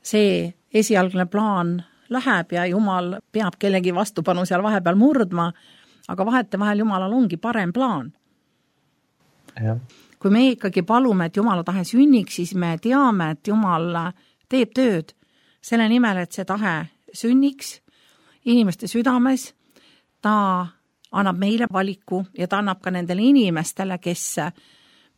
see esialgne plaan läheb ja Jumal peab kellegi vastupanu seal vahepeal murdma, aga vahete vahel Jumalal ongi parem plaan. Ja. Kui me ikkagi palume, et Jumala tahe sünniks, siis me teame, et Jumal teeb tööd selle nimel, et see tahe sünniks inimeste südames. Ta annab meile valiku ja ta annab ka nendele inimestele, kes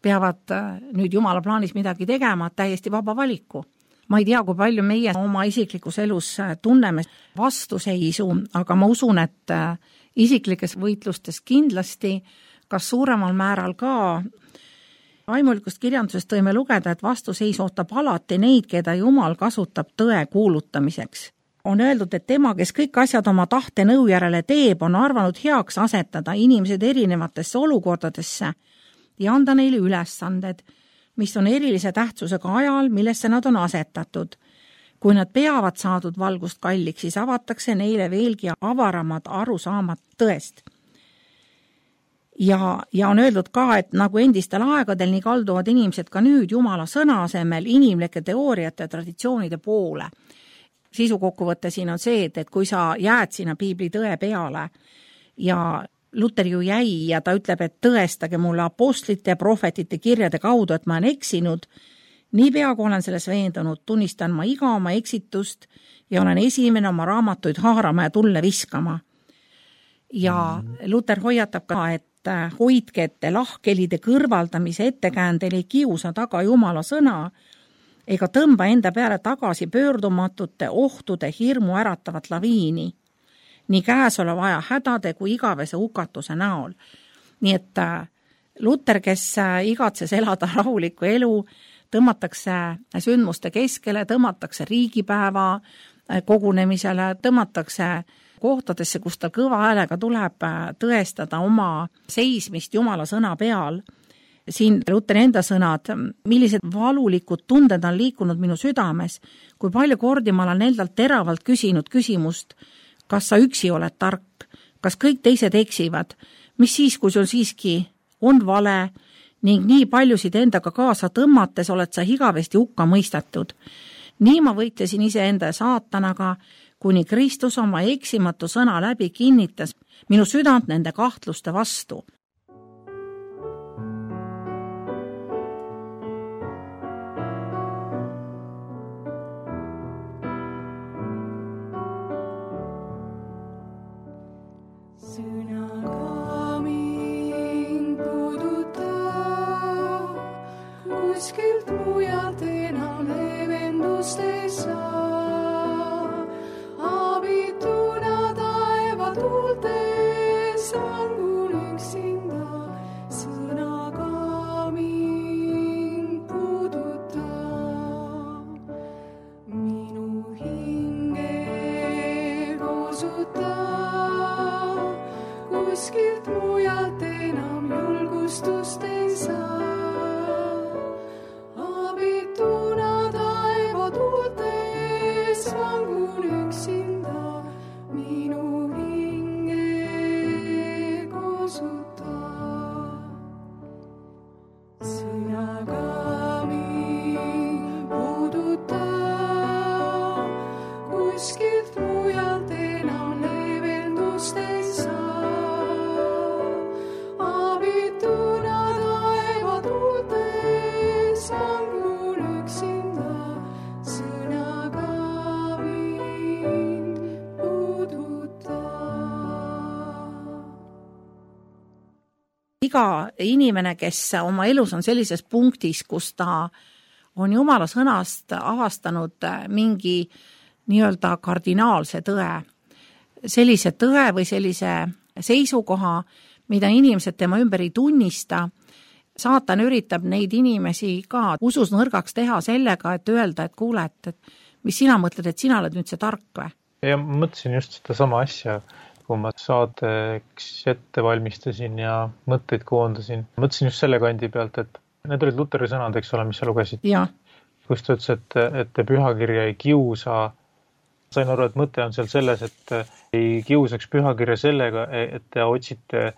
peavad nüüd Jumala plaanis midagi tegema, täiesti vaba valiku. Ma ei tea, kui palju meie oma isiklikus elus tunneme vastuseisu, aga ma usun, et isiklikes võitlustes kindlasti, kas suuremal määral ka vaimulikust kirjandusest tõime lugeda, et vastuseis ootab alati neid, keda Jumal kasutab tõe kuulutamiseks. On öeldud, et tema, kes kõik asjad oma tahte nõu järele teeb, on arvanud heaks asetada inimesed erinevatesse olukordadesse ja anda neile ülesanded, mis on erilise tähtsusega ajal, millesse nad on asetatud. Kui nad peavad saadud valgust kalliks, siis avatakse neile veelgi avaramad arusaamad tõest. Ja, ja on öeldud ka, et nagu endistel aegadel, nii kalduvad inimesed ka nüüd Jumala sõna asemel inimlike teooriate ja traditsioonide poole. Sisu kokkuvõte siin on see, et, et kui sa jääd sinna piibli tõe peale ja Luter ju jäi ja ta ütleb, et tõestage mulle apostlite ja prohvetite kirjade kaudu, et ma olen eksinud. Niipea, kui olen selles veendunud, tunnistan ma iga oma eksitust ja olen esimene oma raamatuid haarama ja tulle viskama. Ja Luter hoiatab ka, et hoidke ette lahkhelide kõrvaldamise ettekäändel ei kiusa taga Jumala sõna ega tõmba enda peale tagasi pöördumatute ohtude hirmu äratavat laviini. Nii käesoleva aja hädade kui igavese hukatuse näol. Nii et Luter, kes igatses elada rahulikku elu, tõmmatakse sündmuste keskele, tõmmatakse riigipäeva kogunemisele, tõmmatakse kohtadesse, kus ta kõva häälega tuleb tõestada oma seismist Jumala sõna peal. Siin Luteri enda sõnad, millised valulikud tunded on liikunud minu südames, kui palju kordi ma olen endalt teravalt küsinud küsimust, kas sa üksi oled tark, kas kõik teised eksivad, mis siis, kui sul siiski on vale ning nii paljusid endaga kaasa tõmmates oled sa igavesti hukka mõistetud. Nii ma võitlesin iseenda saatanaga, kuni Kristus oma eksimatu sõna läbi kinnitas minu südant nende kahtluste vastu. Kuskilt mujalt enam leevendust ei saa. Abituna taeva tuultes vangun üksinda. Sõnaga mind puuduta. Minu hinge koosuta. Kuskilt mujalt enam julgustust ei saa. Iga inimene, kes oma elus on sellises punktis, kus ta on Jumala sõnast avastanud mingi nii-öelda kardinaalse tõe, sellise tõe või sellise seisukoha, mida inimesed tema ümber ei tunnista, saatan üritab neid inimesi ka usus nõrgaks teha sellega, et öelda, et kuule, et mis sina mõtled, et sina oled nüüd see tark või? Ja ma mõtlesin just seda sama asja, kui ma saateks ette valmistasin ja mõtteid koondasin. Mõtlesin just selle kandi pealt, et need olid Luteri sõnad, eks ole, mis sa lugesid. Ja. Kus ta ütles, et, et te pühakirja ei kiusa. Sain aru, et mõte on seal selles, et ei kiusaks pühakirja sellega, et te otsite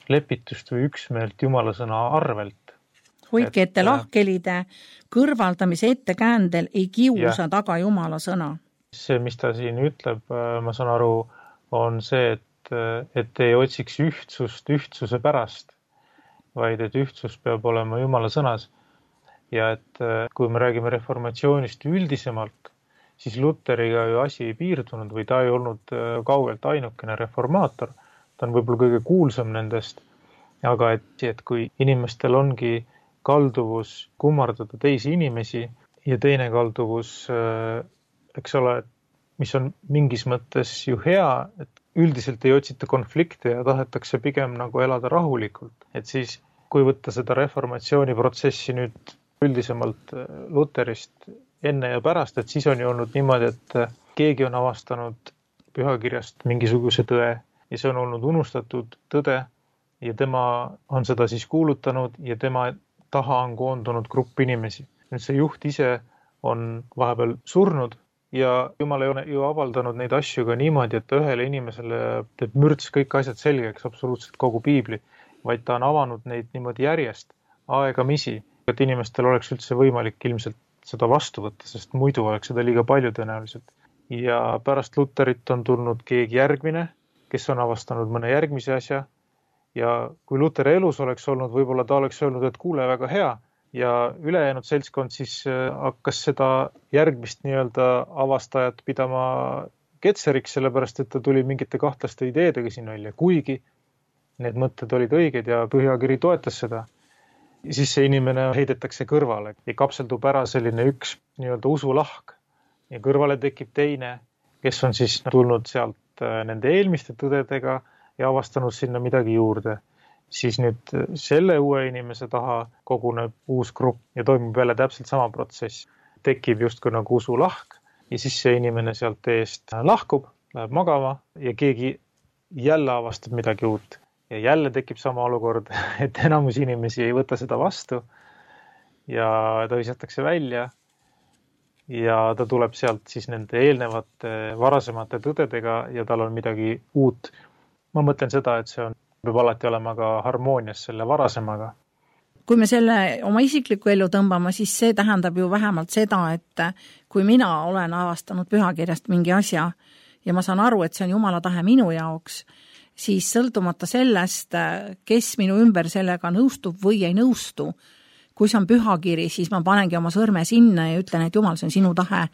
lepitust või üksmeelt Jumala sõna arvelt. Hoidke ette lahkhelide kõrvaldamise ettekäändel ei kiusa ja. Taga Jumala sõna. See, mis ta siin ütleb, ma saan aru, on see, et, et ei otsiks ühtsust ühtsuse pärast, vaid et ühtsus peab olema Jumala sõnas. Ja et kui me räägime reformatsioonist üldisemalt, siis Luteriga ju asi ei piirdunud või ta ei olnud kaugelt ainukene reformaator. Ta on võib-olla kõige kuulsam nendest, aga et, et kui inimestel ongi kalduvus kummardada teisi inimesi ja teine kalduvus, eks ole, mis on mingis mõttes ju hea, et üldiselt ei otsita konflikte ja tahetakse pigem nagu elada rahulikult. Et siis, kui võtta seda reformatsiooniprotsessi nüüd üldisemalt Luterist enne ja pärast, et siis on ju olnud niimoodi, et keegi on avastanud pühakirjast mingisuguse tõe ja see on olnud unustatud tõde ja tema on seda siis kuulutanud ja tema taha on koondunud grupp inimesi. Nüüd see juht ise on vahepeal surnud ja Jumal ei ole ju avaldanud neid asju ka niimoodi, et ühele inimesele teeb mürts kõik asjad selgeks, absoluutselt kogu piibli, vaid ta on avanud neid niimoodi järjest, aegamisi, et inimestel oleks üldse võimalik ilmselt seda vastu võtta, sest muidu oleks seda liiga palju tõenäoliselt. Ja pärast Luterit on tulnud keegi järgmine, kes on avastanud mõne järgmise asja ja kui Luteri elus oleks olnud, võib-olla ta oleks öelnud, et kuule, väga hea ja ülejäänud seltskond siis hakkas seda järgmist nii-öelda avastajat pidama ketseriks, sellepärast et ta tuli mingite kahtlaste ideedega siin välja, kuigi need mõtted olid õiged ja Pühakiri toetas seda. Siis see inimene heidetakse kõrvale ja kapseldub ära selline üks nii-öelda usulahk ja kõrvale tekib teine, kes on siis tulnud sealt nende eelmiste tõdedega ja avastanud sinna midagi juurde. Siis nüüd selle uue inimese taha koguneb uus grupp ja toimub jälle täpselt sama protsess. Tekib justkui nagu usulahk ja siis see inimene sealt eest lahkub, läheb magama ja keegi jälle avastab midagi uut. Ja jälle tekib sama olukord, et enamus inimesi ei võta seda vastu ja ta visatakse välja ja ta tuleb sealt siis nende eelnevate varasemate tõdedega ja tal on midagi uut. Ma mõtlen seda, et see on, peab alati olema ka harmoonias selle varasemaga. Kui me selle oma isikliku elu tõmbama, siis see tähendab ju vähemalt seda, et kui mina olen avastanud Pühakirjast mingi asja ja ma saan aru, et see on Jumala tahe minu jaoks, siis sõltumata sellest, kes minu ümber sellega nõustub või ei nõustu, kui see on Pühakiri, siis ma panengi oma sõrme sinna ja ütlen, et Jumal, see on sinu tahe.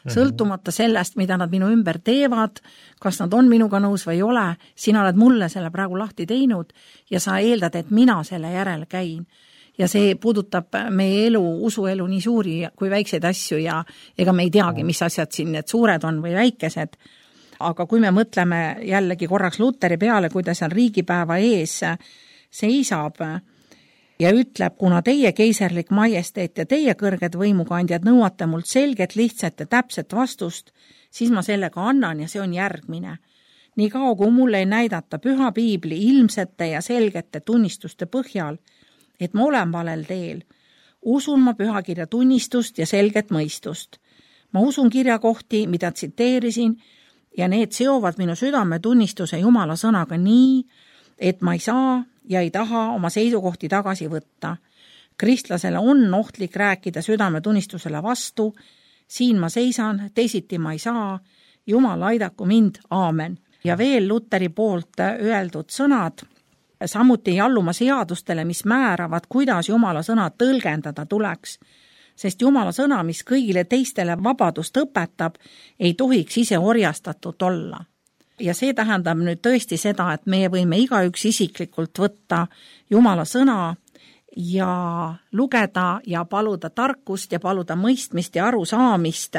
Sõltumata sellest, mida nad minu ümber teevad, kas nad on minuga nõus või ei ole, sina oled mulle selle praegu lahti teinud ja sa eeldad, et mina selle järele käin. Ja see puudutab meie elu, usuelu nii suuri kui väikseid asju ja ega me ei teagi, mis asjad siin need suured on või väikesed. Aga kui me mõtleme jällegi korraks Luteri peale, kui ta seal riigipäeva ees seisab ja ütleb, kuna teie keiserlik majesteet ja teie kõrged võimukandjad nõuate mult selget, lihtsat ja täpset vastust, siis ma sellega annan ja see on järgmine. Nii kao, kui mulle ei näidata püha piibli ilmsete ja selgete tunnistuste põhjal, et ma olen valel teel, usun ma Pühakirja tunnistust ja selget mõistust. Ma usun kirjakohti, mida tsiteerisin, ja need seovad minu südame tunnistuse Jumala sõnaga nii, et ma ei saa ja ei taha oma seisukohti tagasi võtta. Kristlasele on ohtlik rääkida südame tunnistusele vastu, siin ma seisan, teisiti ma ei saa, Jumal aidaku mind, aamen. Ja veel Luteri poolt öeldud sõnad, samuti ei alluma seadustele, mis määravad, kuidas Jumala sõna tõlgendada tuleks, sest Jumala sõna, mis kõigile teistele vabadust õpetab, ei tohiks ise orjastatud olla. Ja see tähendab nüüd tõesti seda, et meie võime igaüks isiklikult võtta Jumala sõna ja lugeda ja paluda tarkust ja paluda mõistmist ja arusaamist.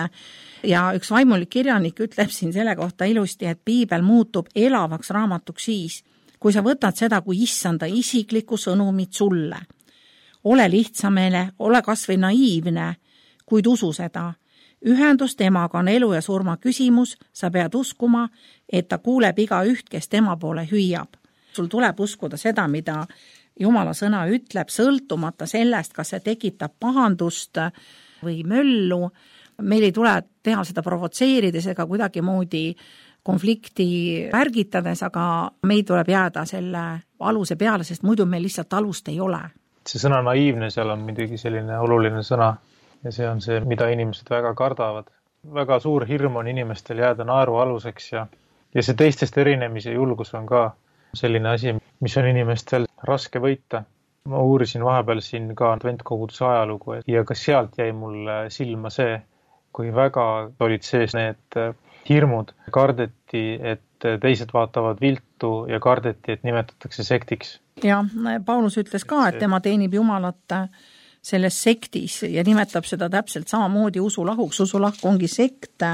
Ja üks vaimulik kirjanik ütleb siin selle kohta ilusti, et piibel muutub elavaks raamatuks siis, kui sa võtad seda kui issanda isiklikku sõnumit sulle. Ole lihtsamene, ole kas või naiivne, kuid usu seda. Ühendus temaga on elu ja surma küsimus, sa pead uskuma, et ta kuuleb iga üht, kes tema poole hüüab. Sul tuleb uskuda seda, mida Jumala sõna ütleb, sõltumata sellest, kas see tekitab pahandust või möllu. Meil ei tule teha seda provotseerides ega kuidagi moodi konflikti pärgitades, aga meil tuleb jääda selle aluse peale, sest muidu meil lihtsalt alust ei ole. See sõna naiivne seal on midagi selline oluline sõna ja see on see, mida inimesed väga kardavad. Väga suur hirm on inimestel jääda naeru aluseks ja, ja see teistest erinemise julgus on ka selline asi, mis on inimestel raske võita. Ma uurisin vahepeal siin ka adventkoguduse ajalugu ja ka sealt jäi mulle silma see, kui väga olid sees need hirmud. Kardeti, et teised vaatavad viltu ja kardeti, et nimetatakse sektiks. Ja Paulus ütles ka, et tema teenib Jumalat selles sektis ja nimetab seda täpselt samamoodi usulahuks. Usulahk ongi sekt.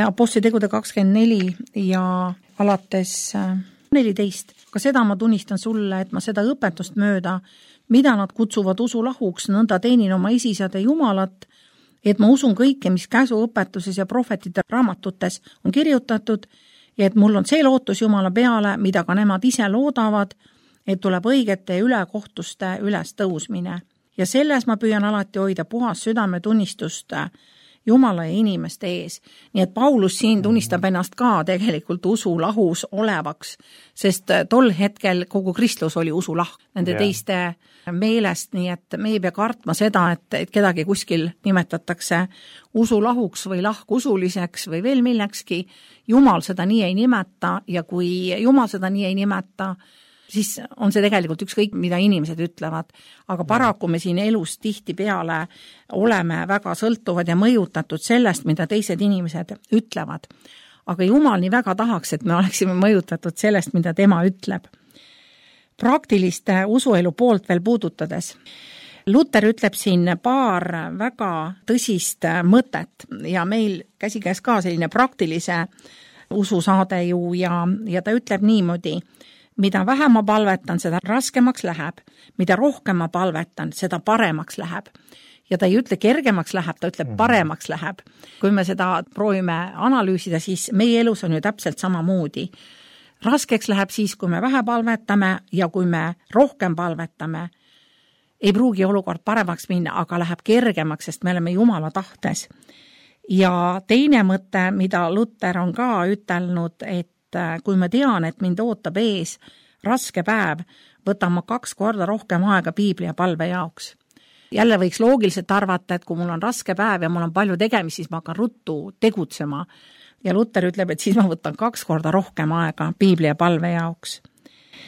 Apostlitegude kakskümmend neli ja alates neliteist. Ka seda ma tunnistan sulle, et ma seda õpetust mööda, mida nad kutsuvad usulahuks, nõnda teenin oma isisade Jumalat, et ma usun kõike, mis käsuõpetuses ja prohvetite raamatutes on kirjutatud ja et mul on see lootus Jumala peale, mida ka nemad ise loodavad, et tuleb õigete ülekohtuste üles tõusmine. Ja selles ma püüan alati hoida puhas südametunnistust Jumala ja inimeste ees. Nii et Paulus siin tunnistab ennast ka tegelikult usulahus olevaks, sest tol hetkel kogu kristlus oli usulahk nende yeah. teiste meelest, nii et me ei pea kartma seda, et, et kedagi kuskil nimetatakse usulahuks või lahkusuliseks või veel millekski. Jumal seda nii ei nimeta ja kui Jumal seda nii ei nimeta, siis on see tegelikult ükskõik, mida inimesed ütlevad. Aga paraku me siin elus tihti peale oleme väga sõltuvad ja mõjutatud sellest, mida teised inimesed ütlevad. Aga Jumal nii väga tahaks, et me oleksime mõjutatud sellest, mida tema ütleb. Praktiliste usuelu poolt veel puudutades. Luther ütleb siin paar väga tõsist mõtet ja meil käsikäes ka selline praktilise ususaade ju ja, ja ta ütleb niimoodi, mida vähem ma palvetan, seda raskemaks läheb, mida rohkem ma palvetan, seda paremaks läheb. Ja ta ei ütle kergemaks läheb, ta ütleb paremaks läheb. Kui me seda proovime analüüsida, siis meie elus on ju täpselt samamoodi. Raskeks läheb siis, kui me vähe palvetame ja kui me rohkem palvetame, ei pruugi olukord paremaks minna, aga läheb kergemaks, sest me oleme Jumala tahtes. Ja teine mõte, mida Luther on ka ütelnud, et kui ma tean, et mind ootab ees raske päev, võtan ma kaks korda rohkem aega piibli ja palve jaoks. Jälle võiks loogiliselt arvata, et kui mul on raske päev ja mul on palju tegemist, siis ma hakkan ruttu tegutsema. Ja Luther ütleb, et siis ma võtan kaks korda rohkem aega piibli ja palve jaoks.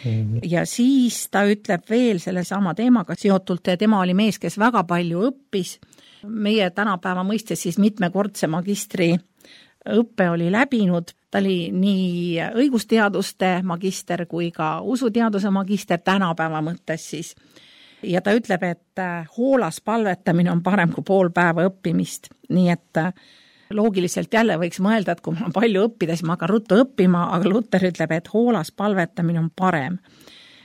Mm-hmm. Ja siis ta ütleb veel selle sama teemaga seotult, ja tema oli mees, kes väga palju õppis. Meie tänapäeva mõistes siis mitmekordse magistri õppe oli läbinud. Ta oli nii õigusteaduste magister kui ka usuteaduse magister tänapäeva mõttes siis. Ja ta ütleb, et hoolas palvetamine on parem kui pool päeva õppimist. Nii et loogiliselt jälle võiks mõelda, et kui mul on palju õppida, siis ma hakkan ruttu õppima, aga Luther ütleb, et hoolas palvetamine on parem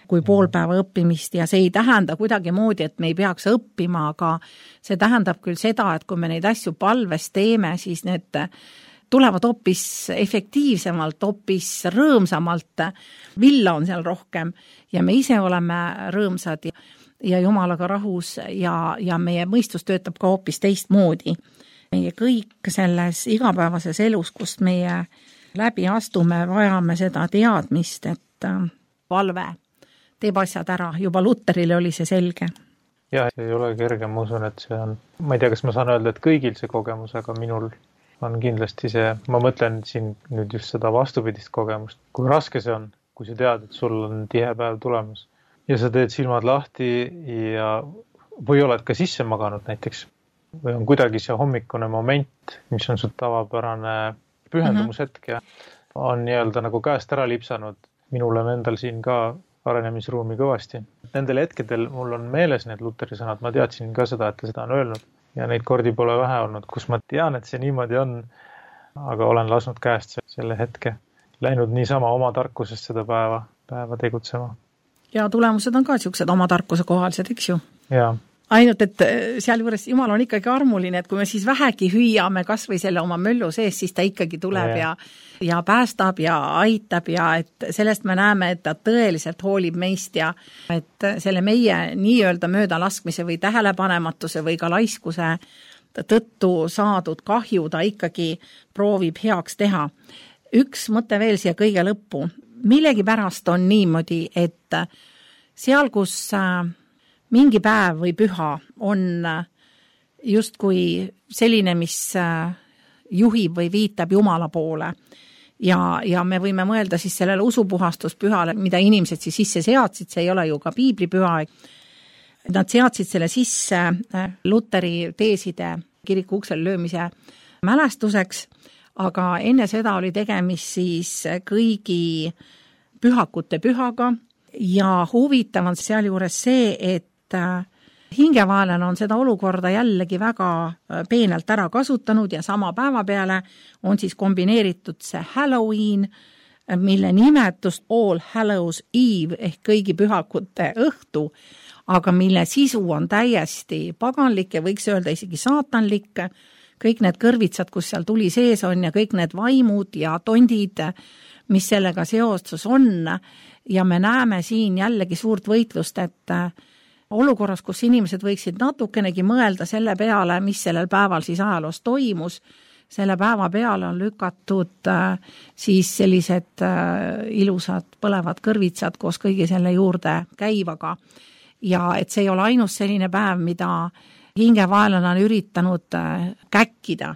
kui pool päeva õppimist ja see ei tähenda kuidagi moodi, et me ei peaks õppima, aga see tähendab küll seda, et kui me neid asju palves teeme, siis need tulevad hoopis efektiivsemalt, hoopis rõõmsamalt, villa on seal rohkem ja me ise oleme rõõmsad ja, ja Jumalaga rahus ja, ja meie mõistus töötab ka hoopis teistmoodi. Meie kõik selles igapäevases elus, kust meie läbi astume, vajame seda teadmist, et palve teeb asjad ära. Juba Lutherile oli see selge. Ja, see ei ole kerge, ma usun, et see on, ma ei tea, kas ma saan öelda, et kõigil see kogemus, aga minul on kindlasti see, ma mõtlen siin nüüd just seda vastupidist kogemust. Kui raske see on, kui sa tead, et sul on tihe päev tulemas ja sa teed silmad lahti ja või oled ka sisse maganud näiteks või on kuidagi see hommikune moment, mis on sul tavapärane pühendumushetk ja on nii-öelda nagu käest ära lipsanud. Minul on endal siin ka arenemisruumi kõvasti. Nendel hetkedel mul on meeles need Lutheri sõnad, ma teadsin ka seda, et ta seda on öelnud ja neid kordi pole vähe olnud, kus ma tean, et see niimoodi on, aga olen lasknud käest selle hetke. Läinud niisama oma tarkusest seda päeva, päeva tegutsema. Ja tulemused on ka siuksed oma tarkuse kohalised, eks ju? Jaa. Ainult, et seal juures Jumal on ikkagi armuline, et kui me siis vähegi hüüame kas või selle oma möllu sees, siis ta ikkagi tuleb ja, ja, ja päästab ja aitab ja et sellest me näeme, et ta tõeliselt hoolib meist ja et selle meie nii-öelda möödalaskmise või tähelepanematuse või ka laiskuse tõttu saadud kahju ta ikkagi proovib heaks teha. Üks mõte veel siia kõige lõppu. Millegi pärast on niimoodi, et seal, kus mingi päev või püha on justkui selline, mis juhib või viitab Jumala poole. Ja, ja me võime mõelda siis sellele usupuhastuspühale, mida inimesed siis sisse seadsid, see ei ole ju ka piiblipüha. Nad seadsid selle sisse Lutheri teeside kiriku uksel löömise mälestuseks, aga enne seda oli tegemist siis kõigi pühakute pühaga ja huvitav on seal juures see, et hingevaelane on seda olukorda jällegi väga peenelt ära kasutanud ja sama päeva peale on siis kombineeritud see Halloween, mille nimetust All Hallows Eve ehk kõigi pühakute õhtu, aga mille sisu on täiesti paganlik ja võiks öelda isegi saatanlik. Kõik need kõrvitsad, kus seal tuli sees on ja kõik need vaimud ja tondid, mis sellega seostus on ja me näeme siin jällegi suurt võitlust, et olukorras, kus inimesed võiksid natukenegi mõelda selle peale, mis sellel päeval siis ajaloos toimus, selle päeva peale on lükatud siis sellised ilusad põlevad kõrvitsad koos kõigi selle juurde käivaga. Ja et see ei ole ainus selline päev, mida hingevaelane on üritanud käkkida,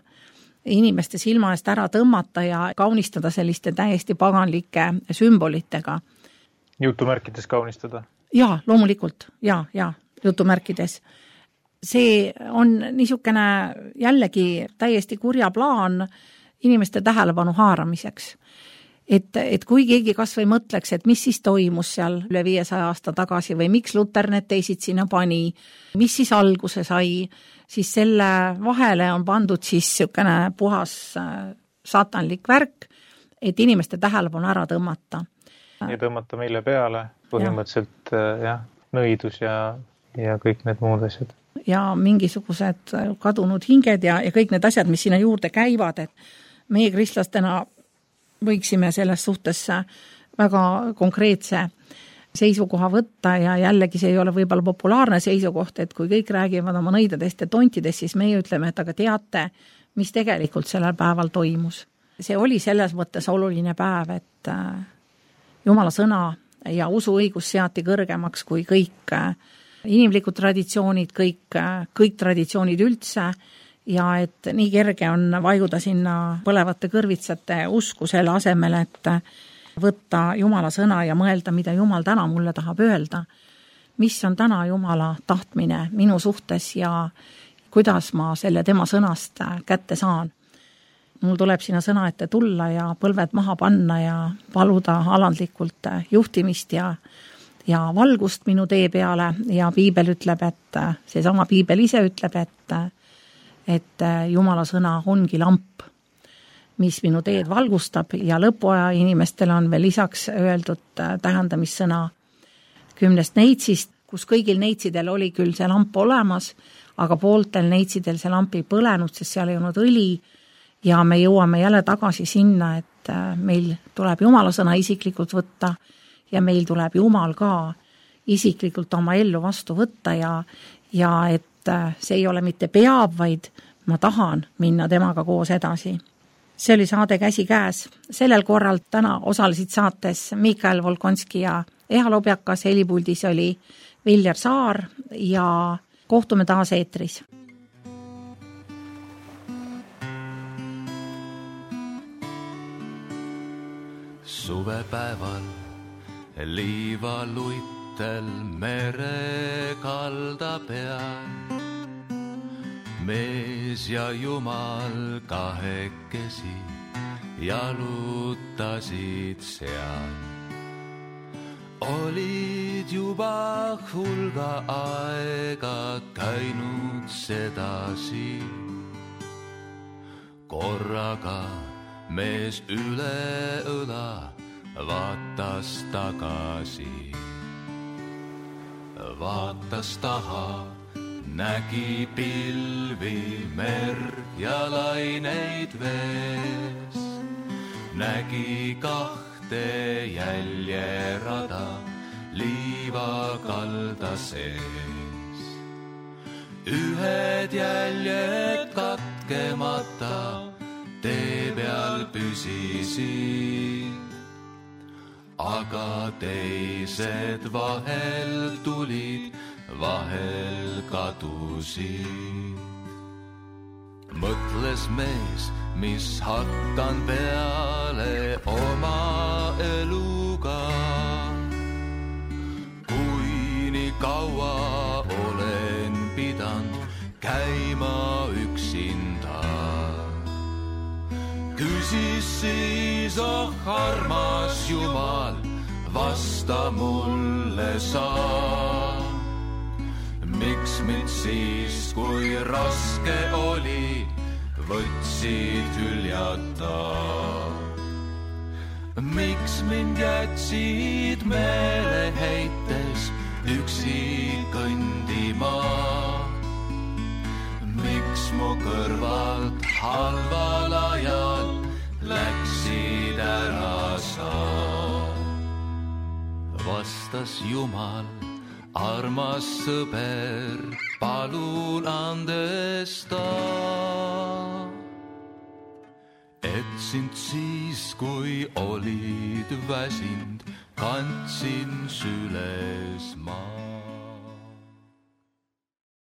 inimeste silma eest ära tõmmata ja kaunistada selliste täiesti paganlike sümbolitega. jutumärkides kaunistada? Jaa, loomulikult, jaa, jaa, jutumärkides. See on niisugune jällegi täiesti kurja plaan inimeste tähelepanu haaramiseks. Et, et kui keegi kas või mõtleks, et mis siis toimus seal üle viiesaja aasta tagasi või miks Luter need teisid sinna pani, mis siis alguse sai, siis selle vahele on pandud siis niisugune puhas saatanlik värk, et inimeste tähelepanu ära tõmmata. Ja tõmmata meile peale põhimõtteliselt ja. jah, nõidus ja, ja kõik need muud asjad. Ja mingisugused kadunud hinged ja, ja kõik need asjad, mis sinna juurde käivad, et meie kristlastena võiksime selles suhtes väga konkreetse seisukoha võtta ja jällegi see ei ole võib-olla populaarne seisukoht, et kui kõik räägivad oma nõidadest ja tontidest, siis meie ütleme, et aga teate, mis tegelikult sellel päeval toimus. See oli selles mõttes oluline päev, et Jumala sõna ja usuõigus seati kõrgemaks kui kõik inimlikud traditsioonid, kõik, kõik traditsioonid üldse, ja et nii kerge on vaiguda sinna põlevate kõrvitsate usku selle asemel, et võtta Jumala sõna ja mõelda, mida Jumal täna mulle tahab öelda. Mis on täna Jumala tahtmine minu suhtes ja kuidas ma selle tema sõnast kätte saan. Mul tuleb sinna sõna ette tulla ja põlved maha panna ja paluda alandlikult juhtimist ja, ja valgust minu tee peale ja piibel ütleb, et see sama piibel ise ütleb, et et Jumala sõna ongi lamp, mis minu teed valgustab ja lõpuaja inimestel on veel lisaks öeldud tähendamissõna kümnest neitsist, kus kõigil neitsidel oli küll see lamp olemas, aga pooltel neitsidel see lamp ei põlenud, sest seal ei olnud õli ja me jõuame jälle tagasi sinna, et meil tuleb Jumala sõna isiklikult võtta ja meil tuleb Jumal ka isiklikult oma ellu vastu võtta ja, ja et see ei ole mitte peab, vaid ma tahan minna temaga koos edasi. See oli saade Käsi käes. Sellel korral täna osalesid saates Mikael Volkonski ja Eha Lobjakas, helipuldis oli Viljar Saar ja kohtume taas eetris. Suvepäeval liivaluitel mere kalda peal mees ja Jumal kahekesi jalutasid seal. Olid juba hulga aega käinud sedasi. Korraga mees üle õla vaatas tagasi. Vaatas taha, nägi pilvi, merd ja laineid vees. Nägi kahte jäljerada liiva kalda sees. Ühed jäljed katkemata tee peal püsisid, aga teised vahel tulid, vahel kadusid. Mõtles mees, mis hakkan peale oma eluga. Kui nii kaua olen pidanud käima üksinda. Küsis siis, oh armas Jumal, vasta mulle saa. Miks mind siis, kui raske oli, võtsid hüljata? Miks mind jätsid meeleheites üksi kõndima? Miks mu kõrvalt halval ajal läksid ära sa? Vastas Jumal, armas sõber, palun andesta. Et sind siis, kui olid väsind, kandsin süles maa.